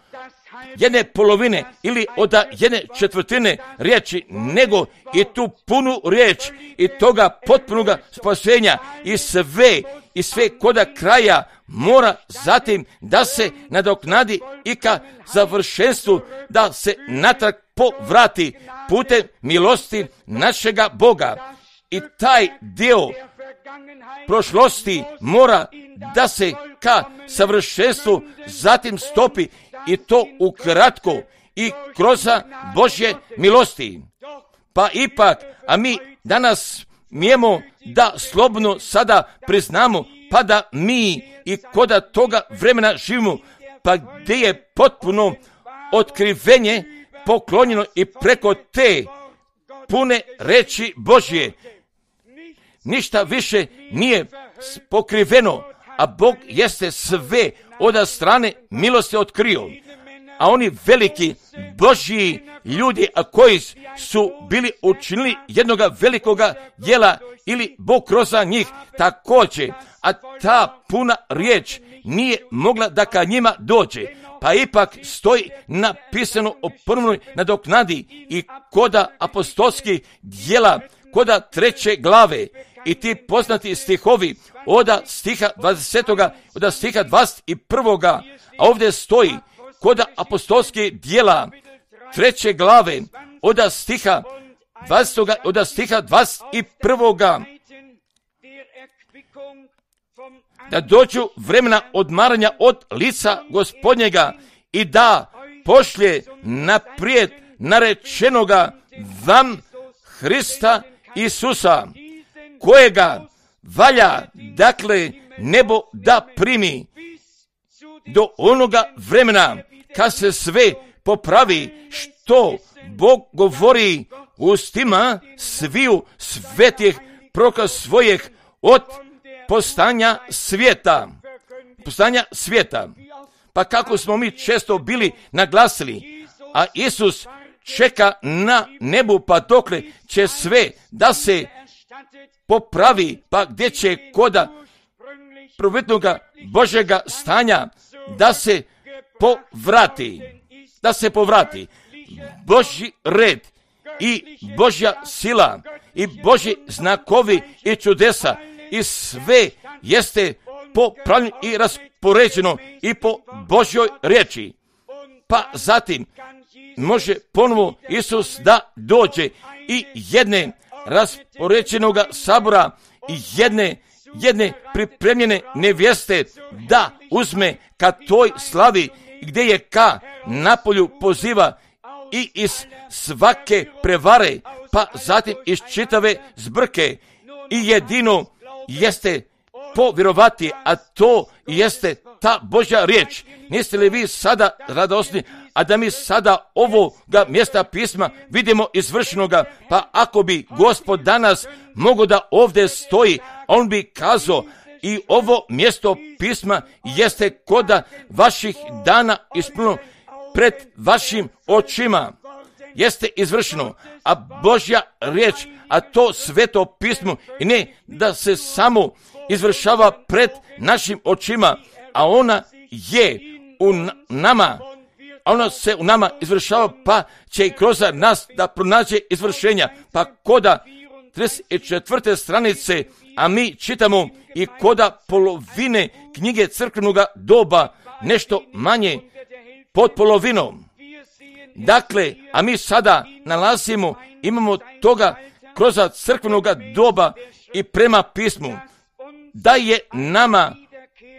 jedne polovine ili od jedne četvrtine riječi, nego i tu punu riječ i toga potpunoga spasenja i sve koda kraja mora zatim da se nadoknadi i ka završenstvu, da se natrag povrati putem milosti našega Boga. I taj dio prošlosti mora da se ka savršenstvu zatim stopi, i to ukratko i kroz Božje milosti. Pa ipak, a mi danas mijemo da slobodno sada priznamo, pa da mi i koda toga vremena živimo, pa gdje je potpuno otkrivenje poklonjeno i preko te pune reči Božje. Ništa više nije pokriveno, a Bog jeste sve od strane milosti otkrio. A oni veliki Božji ljudi, a koji su bili učinili jednoga velikoga djela ili Bog kroz njih također, a ta puna riječ nije mogla da ka njima dođe, pa ipak stoji napisano o prvnoj nadoknadi i koda apostolskih djela, koda 3. glave i ti poznati stihovi od stiha 20. od stiha 21. A ovdje stoji koda apostolskih djela 3. glave od stiha 20. od stiha 21. Da dođu vremena odmaranja od lica Gospodnjega i da pošlje naprijed narečenoga vam Hrista Isusa, kojega valja, dakle, nebo da primi do onoga vremena kad se sve popravi, što Bog govori ustima sviju svetih proroka svojih od postanja svijeta. Pa kako smo mi često bili naglasili, a Isus čeka na nebu, pa dokle će sve da se popravi, pa gdje će koda prvotnoga Božjega stanja da se povrati. Božji red i Božja sila i Božji znakovi i čudesa i sve jeste popravljeno i raspoređeno i po Božjoj riječi. Pa zatim može ponovo Isus da dođe i jedne raspoređenoga sabora i jedne pripremljene nevjeste da uzme ka toj slavi gdje je ka napolju poziva i iz svake prevare, pa zatim iz čitave zbrke, i jedino jeste povjerovati, a to jeste ta Božja riječ. Niste li vi sada radosni a da mi sada ovoga mjesta pisma vidimo izvršenoga, pa ako bi Gospod danas mogao da ovdje stoji, on bi kazao, i ovo mjesto pisma jeste koda vaših dana ispunjeno pred vašim očima. Jeste izvršeno, a Božja riječ, a to sveto pismo, i ne da se samo izvršava pred našim očima, a ona je u nama, a ona se u nama izvršava, pa će i kroz nas da pronađe izvršenja. Pa koda 34. stranice, a mi čitamo i koda polovine knjige crkvenoga doba, nešto manje pod polovinom. Dakle, a mi sada imamo toga kroz crkvenoga doba i prema pismu, da je nama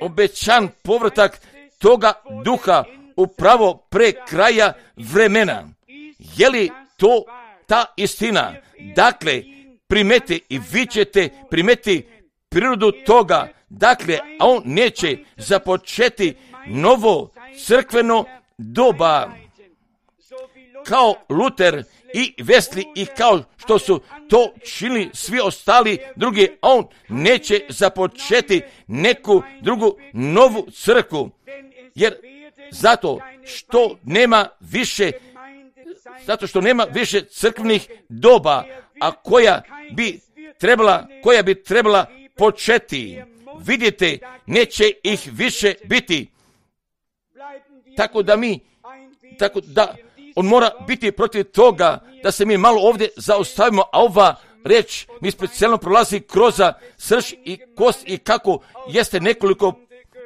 obećan povratak toga duha upravo pre kraja vremena. Je li to ta istina? Dakle, primeti i vi ćete primeti prirodu toga. Dakle, a on neće započeti novo crkveno doba. Kao Luter i Wesley i kao što su to činili svi ostali drugi, a on neće započeti neku drugu novu crkvu, jer zato što nema više crkvenih doba, a koja bi trebala početi. Vidite, neće ih više biti. Tako da on mora biti protiv toga da se mi malo ovdje zaustavimo, a ova reč mi specijalno prolazi kroz srž i kost, i kako jeste nekoliko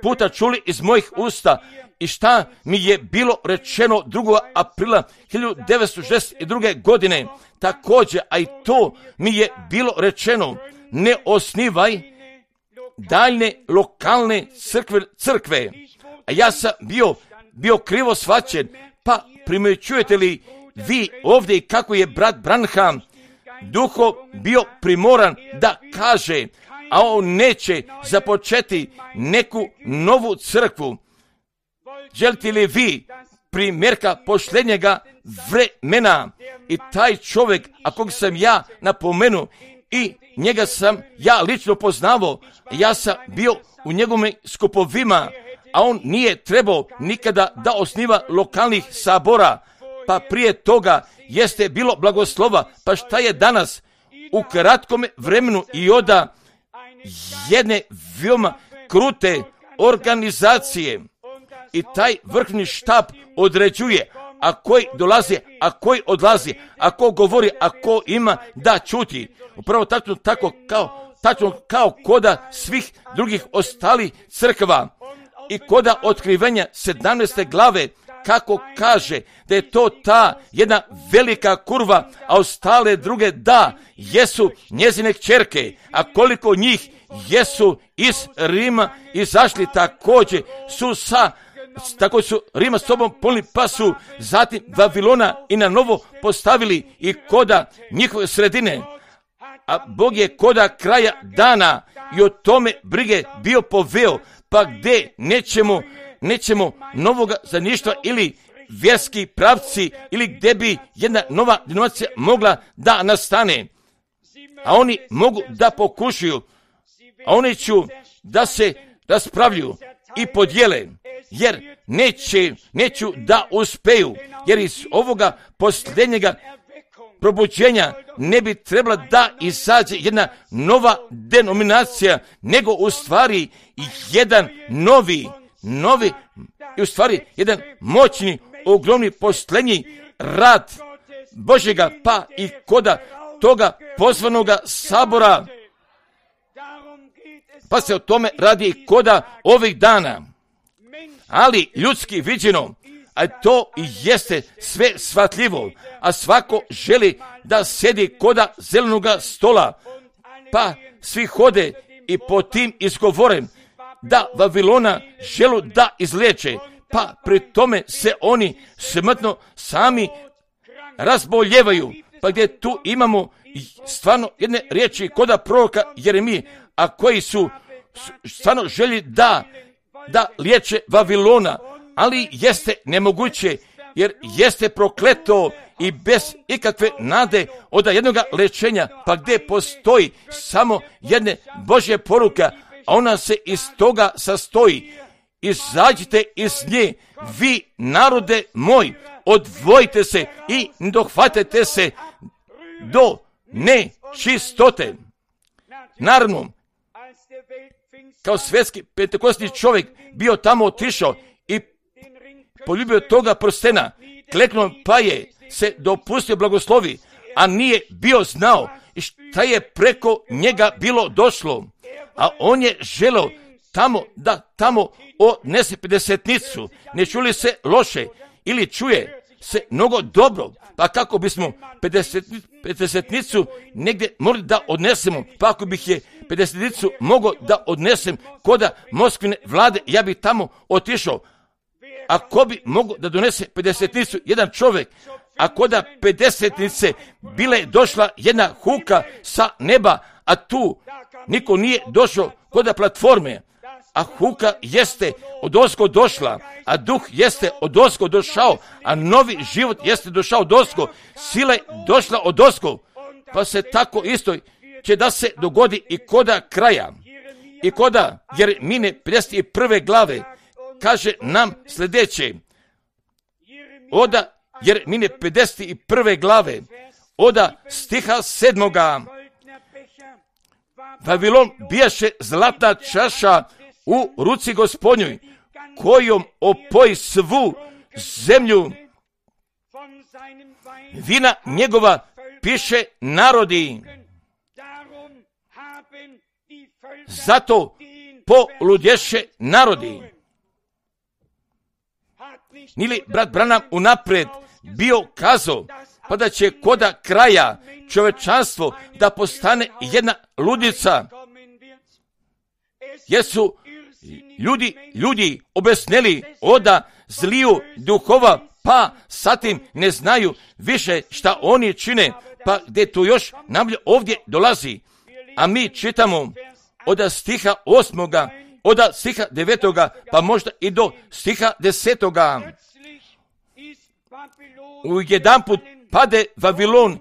puta čuli iz mojih usta i šta mi je bilo rečeno 2. aprila 1962. godine. Također, a i to mi je bilo rečeno, ne osnivaj daljne lokalne crkve. A ja sam bio krivo shvaćen, pa primjećujete li vi ovdje i kako je brat Branham duho bio primoran da kaže, a on neće započeti neku novu crkvu. Želite li vi primjerka posljednjega vremena? I taj čovjek, a kog sam ja napomenuo, i njega sam ja lično poznavao, ja sam bio u njegovim skupovima, a on nije trebao nikada da osniva lokalnih sabora, pa prije toga jeste bilo blagoslova. Pa šta je danas u kratkom vremenu i oda jedne veoma krute organizacije, i taj vrhovni štab određuje a koji dolazi, a koji odlazi, a ko govori, a ko ima da čuti. Upravo tačno kao koda svih drugih ostalih crkva i koda otkrivenja 17. glave, kako kaže da je to ta jedna velika kurva, a ostale druge da jesu njezine kćerke, a koliko njih jesu iz Rima izašli, također su Rima s sobom polni, pa su zatim Vavilona i na novo postavili i koda njihove sredine. A Bog je koda kraja dana i o tome brige bio poveo, pa gdje nećemo novoga zaništva ili vjerski pravci, ili gdje bi jedna nova denominacija mogla da nastane. A oni mogu da pokušaju, a oni ću da se raspravljuju i podijele, jer neću da uspeju, jer iz ovoga posljednjega probuđenja ne bi trebala da izađe jedna nova denominacija, nego u stvari jedan novi i u stvari jedan moćni, ogromni posljednji rad Božjega, pa i koda toga pozvanoga sabora. Pa se o tome radi i koda ovih dana. Ali ljudski viđeno, a to i jeste sve shvatljivo, a svako želi da sjedi koda zelenoga stola, pa svi hode i po tim izgovorem da Vavilona želu da izliječe, pa pri tome se oni smrtno sami razboljevaju, pa gdje tu imamo stvarno jedne riječi koda proroka Jeremije, a koji su stvarno želi da liječe Vavilona, ali jeste nemoguće, jer jeste prokleto i bez ikakve nade od jednoga lečenja, pa gdje postoji samo jedne Božje poruka, a ona se iz toga sastoji. Izađite iz nje, vi narode moj, odvojite se i dohvatite se do nečistote. Naravno, kao svjetski pentekostni čovjek bio tamo otišao i poljubio toga prstena, kleknuo pa je se dopustio blagoslovi, a nije bio znao šta je preko njega bilo došlo, a on je želeo tamo odnese 50-nicu. Ne čuli se loše ili čuje se mnogo dobro, pa kako bismo 50-nicu negdje morali da odnesemo, pa ako bih je 50-nicu mogao da odnesem koda Moskvine vlade, ja bi tamo otišao. Ako bi mogao da donese 50-nicu jedan čovjek, a koda 50-nice bile došla jedna huka sa neba, a tu niko nije došao koda platforme, a huka jeste odozgo došla, a duh jeste odozgo došao, a novi život jeste došao odozgo, sila je došla odozgo, pa se tako isto će da se dogodi i koda kraja. I koda Jeremine 51. glave kaže nam sljedeće, oda Jeremine 51. glave, oda stiha 7. Vavilon bijaše zlatna čaša u ruci Gospodnjoj, kojom opoji svu zemlju. Vina njegova piše narodi. Zato poludješe narodi. Nili brat Branham unaprijed bio kazao, pa da će koda kraja čovečanstvo da postane jedna ludica, jer su ljudi obesneli oda zliju duhova, pa satim ne znaju više šta oni čine, pa gdje to još nam ovdje dolazi. A mi čitamo od stiha 8. od stiha 9. pa možda i do stiha 10. U jedan put pade Vavilon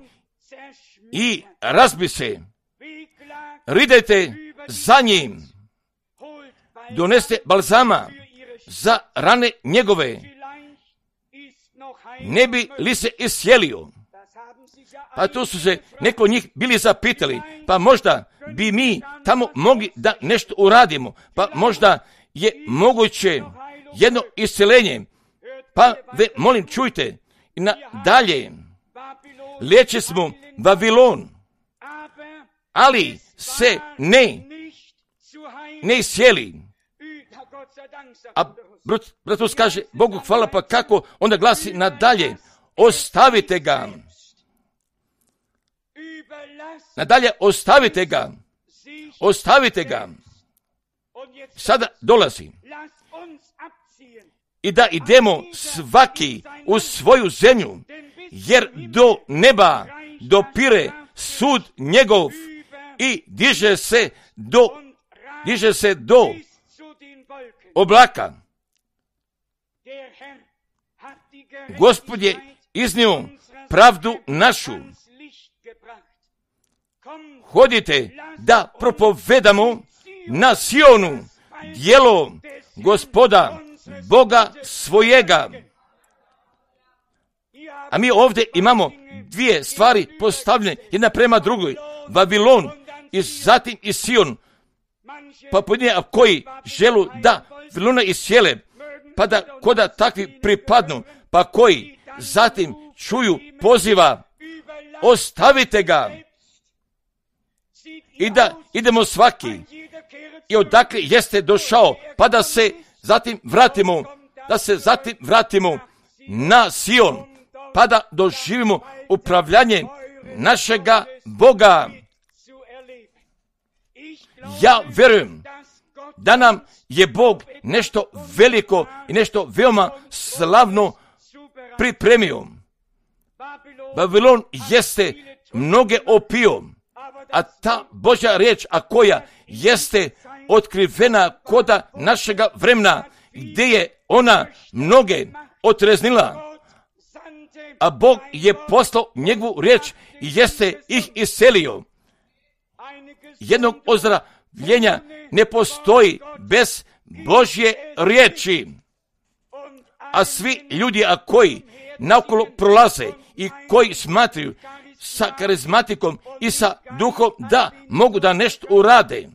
i razbi se. Ridajte za njim, doneste balzama za rane njegove, ne bi li se isjelio. Pa tu su se neko njih bili zapitali, pa možda bi mi tamo mogli da nešto uradimo, pa možda je moguće jedno isceljenje. Pa molim čujte, i nadalje, liječi smo Vavilon, ali se ne isjeli. A bratus kaže, Bogu hvala, pa kako onda glasi nadalje, ostavite ga. Nadalje, ostavite ga. Sada dolazi. I da idemo svaki u svoju zemlju, jer do neba dopire sud njegov i diže se do oblaka. Gospod je iznio pravdu našu. Hodite da propovedamo na Sionu djelo Gospoda Boga svojega. A mi ovdje imamo dvije stvari postavljene jedna prema drugoj. Vavilon i zatim i Sion. Pa pojedine koji želu da Vavilona isjele, pa da koda takvi pripadnu, pa koji zatim čuju poziva, ostavite ga. I da idemo svaki i odakle jeste došao, pa da se zatim vratimo na Sion, pa da doživimo upravljanje našega Boga. Ja vjerujem da nam je Bog nešto veliko i nešto veoma slavno pripremio. Vavilon jeste mnoge opio, a ta Božja riječ, a koja jeste otkrivena koda našega vremena, gdje je ona mnoge otreznila, a Bog je poslao njegovu riječ i jeste ih iscelio. Jednog ozdravljenja ne postoji bez Božje riječi. A svi ljudi, a koji naokolo prolaze i koji smatraju sa karizmatikom i sa duhom da mogu da nešto urade,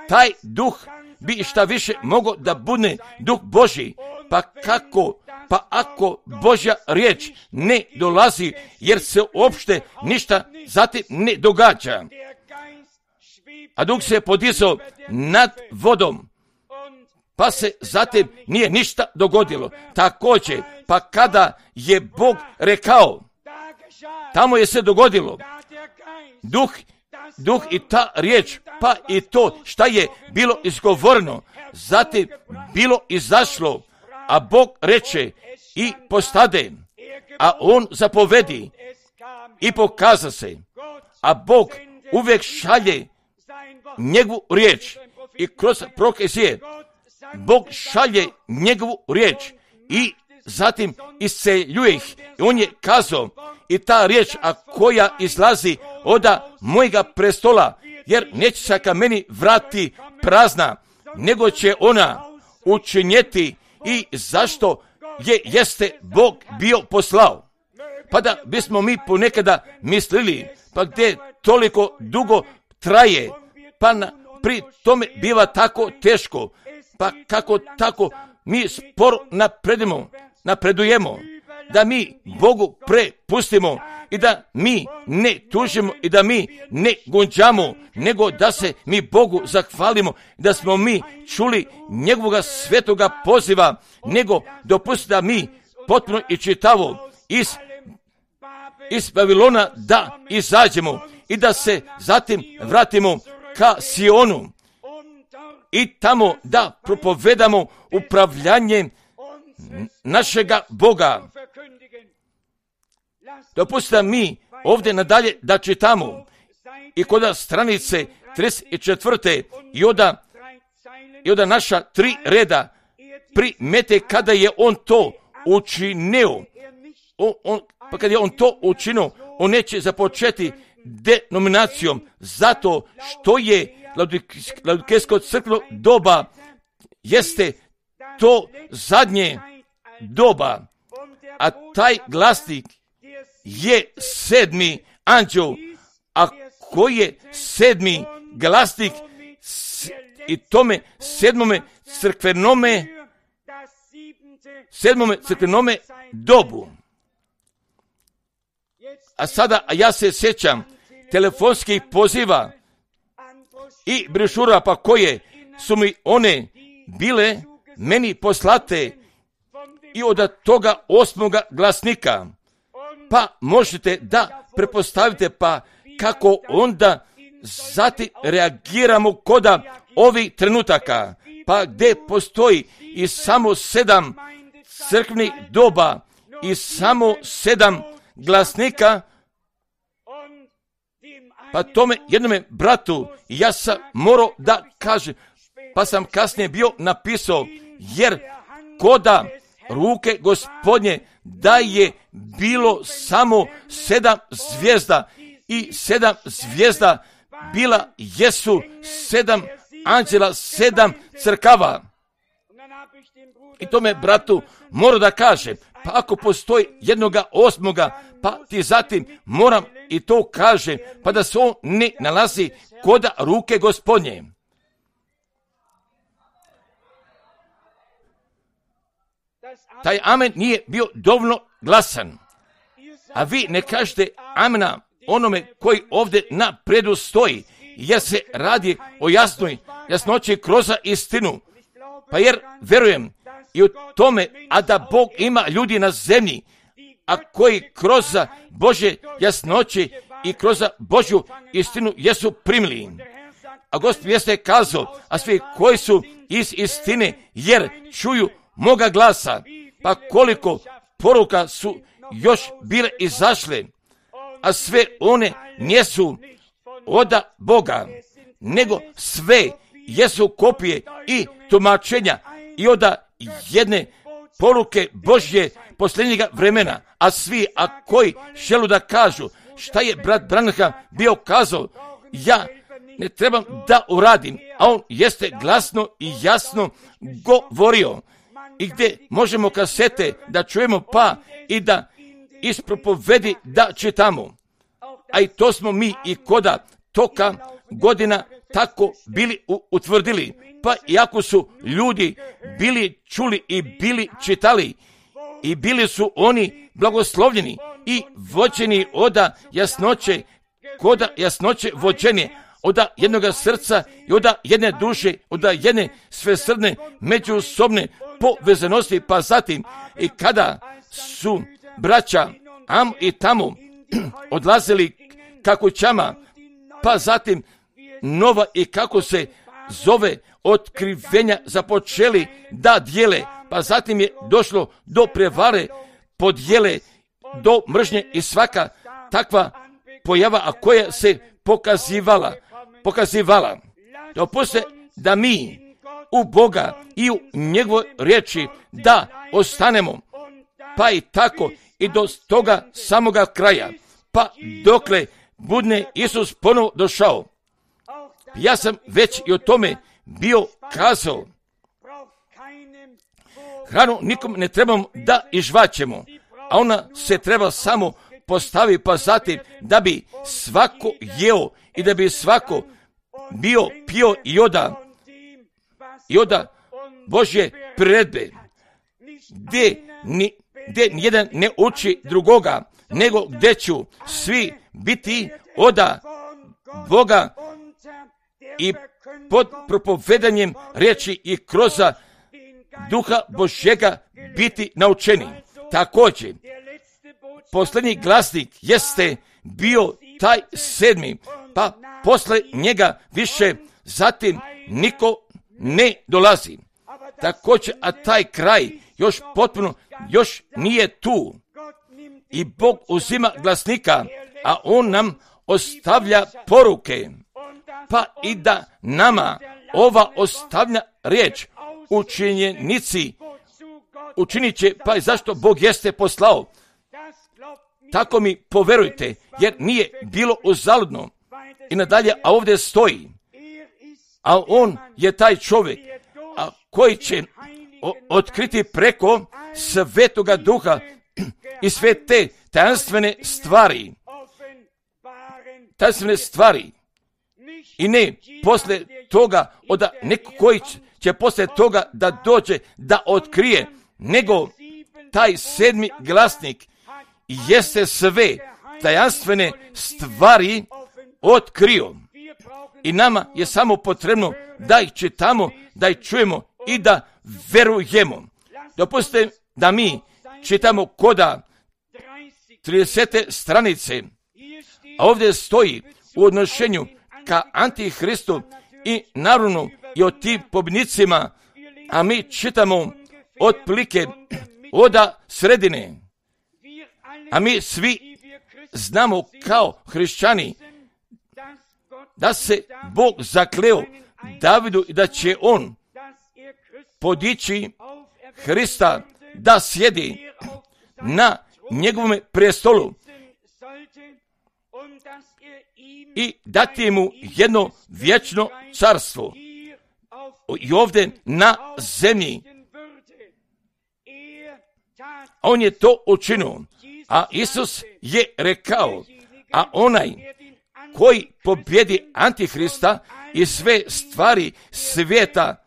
taj duh bi šta više mogao da bude duh Božji. Pa kako? Pa ako Božja riječ ne dolazi, jer se uopšte ništa zatim ne događa. A duh se podizao nad vodom, pa se zatim nije ništa dogodilo. Također, pa kada je Bog rekao, tamo je se dogodilo. Duh i ta riječ, pa i to šta je bilo izgovoreno, zatim bilo izašlo, a Bog reče i postade, a on zapovedi i pokaza se. A Bog uvijek šalje njegovu riječ i kroz prokazije Bog šalje njegovu riječ i zatim isceljuje ih. I on je kazao, i ta riječ, a koja izlazi od mojega prestola, jer neće se ka meni vrati prazna, nego će ona učinjeti i zašto jeste Bog bio poslao. Pa da bismo mi ponekada mislili, pa gdje toliko dugo traje, pa pri tome biva tako teško, pa kako tako mi sporo napredujemo, da mi Bogu prepustimo i da mi ne tužimo i da mi ne gunđamo, nego da se mi Bogu zahvalimo, da smo mi čuli njegovoga svetoga poziva, nego dopustiti da mi potpuno i čitavo iz Babilona da izađemo i da se zatim vratimo ka Sionu i tamo da propovedamo upravljanje našega Boga. Dopustite mi ovdje nadalje da čitamo i kod stranice 34. i od naša 3 reda primete kada je on to učinio. Pa kad je on to učinio, on neće započeti denominacijom, zato što je Laodikejsko crkveno doba jeste to zadnje doba, a taj glasnik je 7. anđeo, a koji je 7. glasnik i tome 7. crkvenome dobu. A sada ja se sjećam telefonskih poziva i brošura, pa koje su mi one bile meni poslate i od toga 8. glasnika. Pa možete da prepostavite pa kako onda zatim reagiramo kod ovih trenutaka, pa gdje postoji i samo 7 crkvenih doba i samo 7 glasnika, pa tome jednome bratu ja sam morao da kažem, pa sam kasnije bio napisao, jer koda ruke Gospodnje da je bilo samo 7 zvijezda i 7 zvijezda bila jesu 7 anđela, 7 crkava. I tome bratu moram da kažem, pa ako postoji 8. pa ti zatim moram i to kažem, pa da se on ne nalazi kod ruke Gospodnje. Taj amen nije bio dovoljno glasan. A vi ne kažete amena onome koji ovdje na predu stoji, jer se radi o jasnoći kroz istinu. Pa jer verujem i u tome, a da Bog ima ljudi na zemlji, a koji kroz Božje jasnoće i kroz Božju istinu jesu primili. A Gospod jeste kazao, a svi koji su iz istine, jer čuju moga glasa, pa koliko poruka su još bile izašle, a sve one nisu od Boga, nego sve jesu kopije i tumačenja i od jedne poruke Božje posljednjega vremena, a svi, a koji želu da kažu šta je brat Branham bio kazao, ja ne trebam da uradim, a on jeste glasno i jasno govorio. I gdje možemo kasete da čujemo pa i da iz propovedi da čitamo. A i to smo mi i koda toka godina tako bili utvrdili. Pa iako su ljudi bili čuli i bili čitali i bili su oni blagoslovljeni i vođeni oda jasnoće, koda jasnoće vođenje, oda jednoga srca i oda jedne duše, oda jedne svesrdne međusobne povezanosti, pa zatim i kada su braća am i tamo odlazili ka kućama, pa zatim nova i kako se zove otkrivenja započeli da dijele, pa zatim je došlo do prevare, podjele, do mržnje i svaka takva pojava, a koja se pokazivala. Dopustite da mi u Boga i u njegovoj riječi da ostanemo, pa i tako i do toga samoga kraja, pa dokle budne Isus ponovo došao. Ja sam već i o tome bio kazao. Hranu nikom ne trebamo da izžvaćemo, a ona se treba samo postavi, pa zatim da bi svako jeo i da bi svako bio pio i oda Božje priredbe, gdje nijedan ne uči drugoga, nego gdje ću svi biti oda Boga i pod propovedanjem riječi i kroz Duha Božjega biti naučeni. Također, posljednji glasnik jeste bio taj 7, pa posle njega više zatim niko ne dolazi. Također, a taj kraj još potpuno još nije tu. I Bog uzima glasnika, a on nam ostavlja poruke. Pa i da nama ova ostavlja riječ učinit će, pa i zašto Bog jeste poslao. Tako mi poverujte, jer nije bilo uzaludno. I nadalje, a ovdje stoji, a on je taj čovjek, a koji će otkriti preko Svetoga Duha i sve te tajanstvene stvari. I ne posle toga, od neko koji će posle toga da dođe da otkrije, nego taj 7. glasnik jeste sve tajanstvene stvari otkrio. I nama je samo potrebno da ih čitamo, da ih čujemo i da verujemo. Dopustite da mi čitamo koda 30. stranice, a ovdje stoji u odnošenju ka Antihristu i naravno i o tim pobjednicima, a mi čitamo otprilike oda sredine. A mi svi znamo kao hrišćani da se Bog zakleo Davidu i da će on podići Hrista da sjedi na njegovom prestolu i dati mu jedno vječno carstvo i ovdje na zemlji. On je to učinio, a Isus je rekao, a onaj koji pobjedi Antihrista i sve stvari svijeta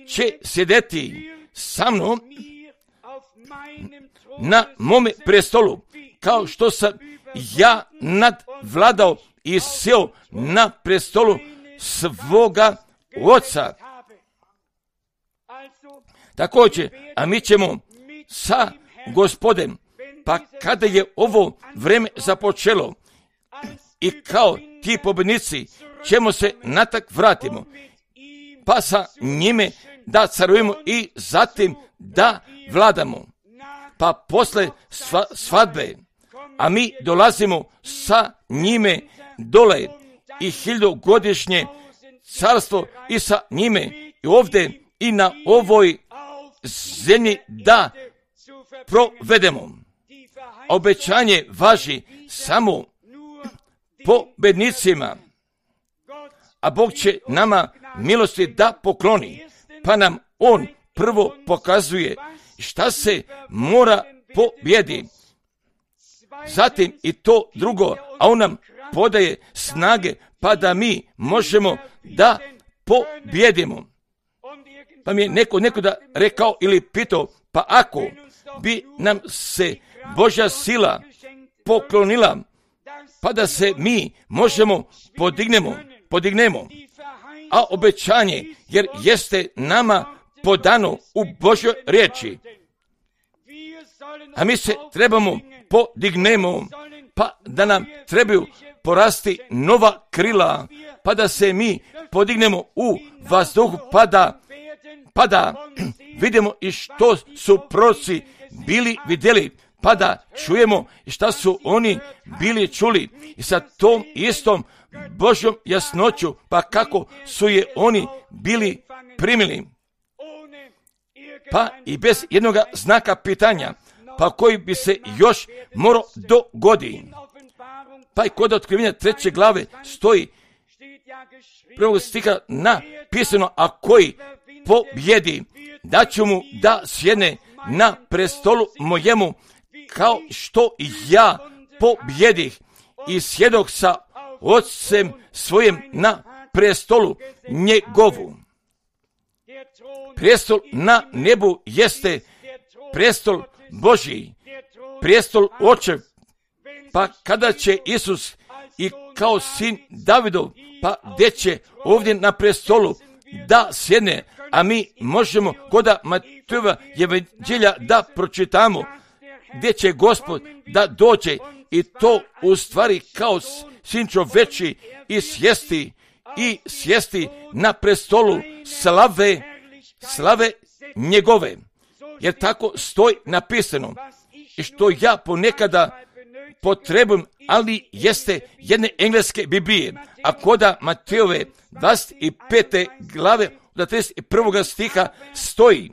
će sjedeti sa mnom na mome prestolu, kao što sam ja nadvladao i sjeo na prestolu svoga oca. Također, a mi ćemo sa Gospodem, pa kada je ovo vrijeme započelo i kao ti pobjednici ćemo se natak vratimo, pa sa njime da carujemo i zatim da vladamo. Pa posle svadbe, a mi dolazimo sa njime dole i 1000-godišnje carstvo i sa njime i ovdje i na ovoj zemlji da provedemo. Obećanje važi samo pobednicima, a Bog će nama milosti da pokloni, pa nam On prvo pokazuje šta se mora pobjedi. Zatim i to drugo, a On nam podaje snage pa da mi možemo da pobjedimo. Pa mi je neko da rekao ili pitao, pa ako bi nam se Božja sila poklonila, pa da se mi možemo podignemo, a obećanje, jer jeste nama podano u Božjoj riječi, a mi se trebamo podignemo, pa da nam trebaju porasti nova krila, pa da se mi podignemo u vazduhu, pa da vidimo i što su proroci bili vidjeli, pa da čujemo i šta su oni bili čuli i sa tom istom Božjom jasnoću, pa kako su je oni bili primili, pa i bez jednoga znaka pitanja, pa koji bi se još morao dogoditi. Pa i kod Otkrivenja 3. glave stoji prvog stiha napisano, a koji pobjedi, da ću mu da sjedne na prestolu mojemu, kao što i ja pobjedih i sjedok sa Otcem svojim na prestolu njegovu. Prestol na nebu jeste prestol Božji, prestol Očev, pa kada će Isus i kao sin Davidov, pa gdje će ovdje na prestolu da sjedne, a mi možemo kod Matejeva evanđelja da pročitamo gdje će Gospod da dođe i to u stvari kao sin čoveči i sjesti na prestolu slave njegove. Jer tako stoji napisano. I što ja ponekada potrebujem, ali jeste jedne engleske Biblije, a koda Matejove 25. glave od 31. stiha stoji: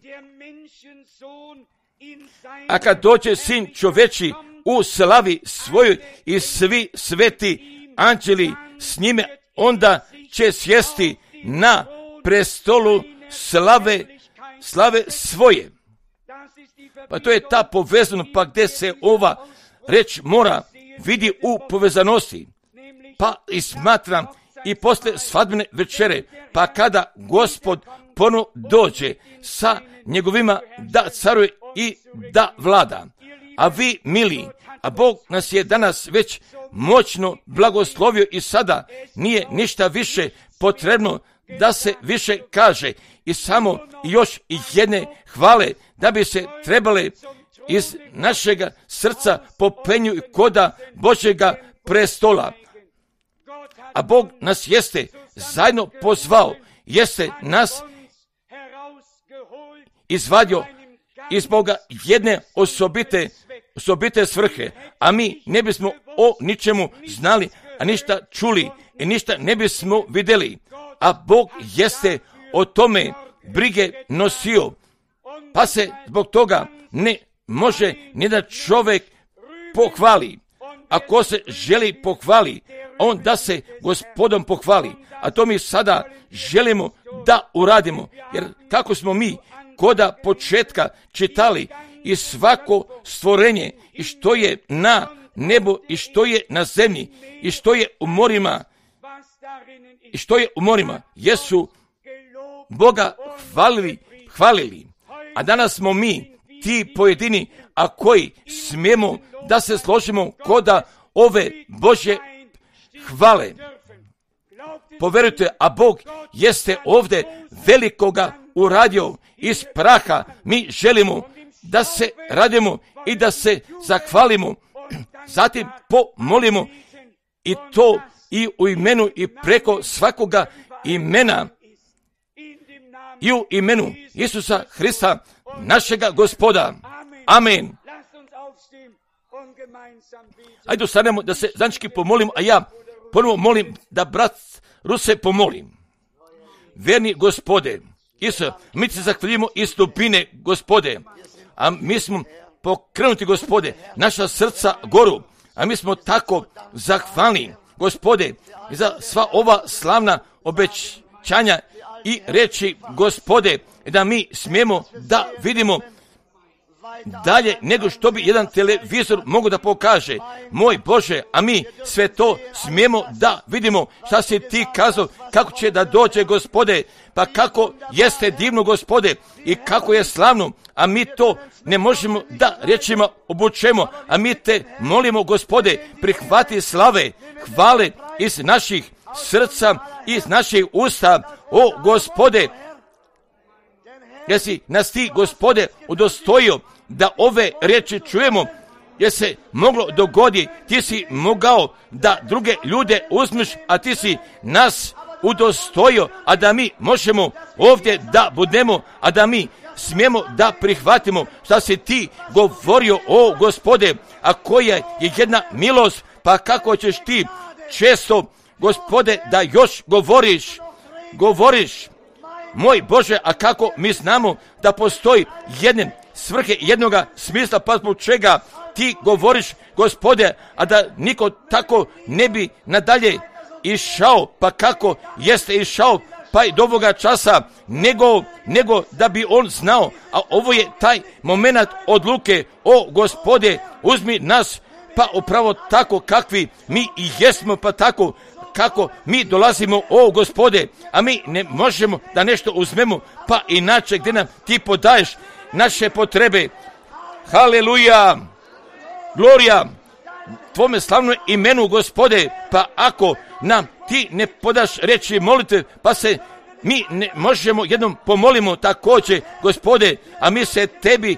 a kad dođe sin čoveči u slavi svojoj i svi sveti anđeli s njime, onda će sjesti na prestolu slave svoje. Pa to je ta povezanost, pa gdje se ova reč mora vidi u povezanosti. Pa i smatram i posle svadbene večere, pa kada Gospod ponovo dođe sa njegovima da caruje i da vlada. A vi, mili, a Bog nas je danas već moćno blagoslovio i sada nije ništa više potrebno da se više kaže i samo još jedne hvale da bi se trebale iz našega srca popenju i koda Božjega prestola. A Bog nas jeste zajedno pozvao, jeste nas izvadio iz Boga jedne osobite svrhe, a mi ne bismo o ničemu znali, a ništa čuli i ništa ne bismo vidjeli. A Bog jeste o tome brige nosio, pa se zbog toga ne može ni da čovjek pohvali. Ako se želi pohvali, on da se Gospodom pohvali. A to mi sada želimo da uradimo. Jer kako smo mi koda početka čitali i svako stvorenje i što je na nebu i što je na zemlji i što je u morima, jesu Boga hvalili. A danas smo mi ti pojedini, a koji smijemo da se složimo koda ove Božje hvale. Poverujte, a Bog jeste ovdje velikoga uradio iz praha. Mi želimo da se radimo i da se zahvalimo, zatim pomolimo i to i u imenu i preko svakoga imena i u imenu Isusa Hrista, našega Gospoda. Amen. Ajde ustanemo da se zajednički pomolimo, a ja ponovo molim da brat Ruse pomolim. Verni Gospode, Isus, mi se zahvaljujemo iz dubine, Gospode, a mi smo pokrenuti, Gospode, naša srca goru, a mi smo tako zahvalni, Gospode, za sva ova slavna obećanja i reći, Gospode, da mi smijemo da vidimo dalje nego što bi jedan televizor mogu da pokaže. Moj Bože, a mi sve to smijemo da vidimo šta si ti kazao, kako će da dođe, Gospode, pa kako jeste divno, Gospode, i kako je slavno, a mi to ne možemo da rečima obučemo, a mi te molimo, Gospode, prihvati slave, hvale iz naših srca, iz naših usta, o Gospode, jer si nas ti, Gospode, udostojio da ove riječi čujemo, jer se moglo dogodi, ti si mogao da druge ljude uzmeš, a ti si nas udostojio, a da mi možemo ovdje da budemo, a da mi smijemo da prihvatimo šta si ti govorio, o Gospode, a koja je jedna milost, pa kako ćeš ti često, Gospode, da još govoriš, moj Bože, a kako mi znamo da postoji jedne svrhe, jednoga smisla, pa zbog čega ti govoriš, Gospode, a da niko tako ne bi nadalje išao, pa kako jeste išao, pa i do ovoga časa, nego da bi on znao, a ovo je taj moment odluke, o Gospode, uzmi nas, pa upravo tako kakvi mi i jesmo, pa tako kako mi dolazimo, o Gospode, a mi ne možemo da nešto uzmemo, pa inače gdje nam ti podaješ naše potrebe. Haleluja, glorija tvome slavnom imenu, Gospode, pa ako nam ti ne podaš reći molitve, pa se mi ne možemo jednom pomolimo također, Gospode, a mi se tebi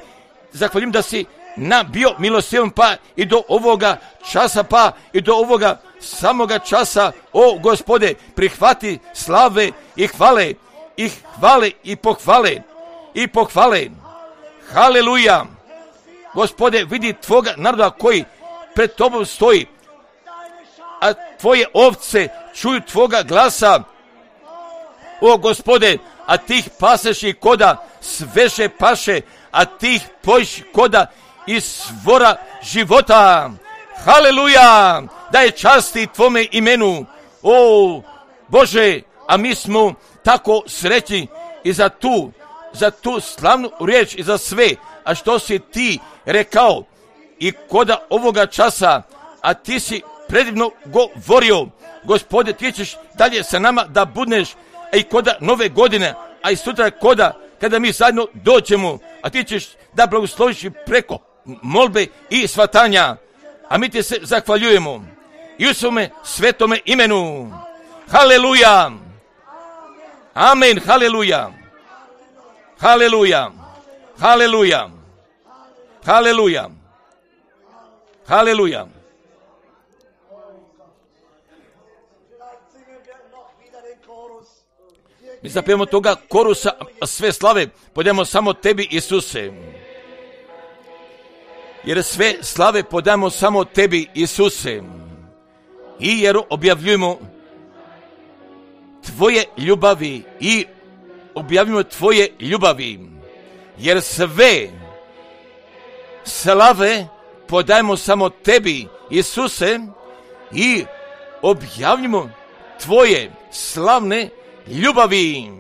zahvaljujem da si nam bio milostivan, pa i do ovoga časa, pa i do ovoga samoga časa, o Gospode, prihvati slave i hvale, i pohvale. Haleluja. Gospode, vidi tvoga naroda koji pred tobom stoji, a tvoje ovce čuju tvoga glasa, o Gospode, a tih paseš i koda sveže paše, a tih pojiš koda iz svora života. Haleluja, daj časti tvome imenu, o Bože, a mi smo tako srećni i za tu slavnu riječ i za sve, a što si ti rekao i koda ovoga časa, a ti si predivno govorio, Gospode, ti ćeš dalje sa nama da budneš, a i koda nove godine, a i sutra kada mi zajedno dođemo, a ti ćeš da blagosloviš preko molbe i svatanja, a mi ti se zahvaljujemo i u svome svetome imenu. Haleluja, amen, haleluja, haleluja, haleluja, haleluja, haleluja. Mi zapijemo toga korusa sve slave, podajemo samo tebi, Isuse. Jer sve slave podajemo samo tebi, Isuse. I jer objavljujemo tvoje ljubavi i objavljujemo tvoje ljubavi. Jer sve slave podajemo samo tebi, Isuse, i objavljujemo tvoje slavne ljubavi.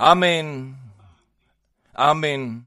Amen. Amen.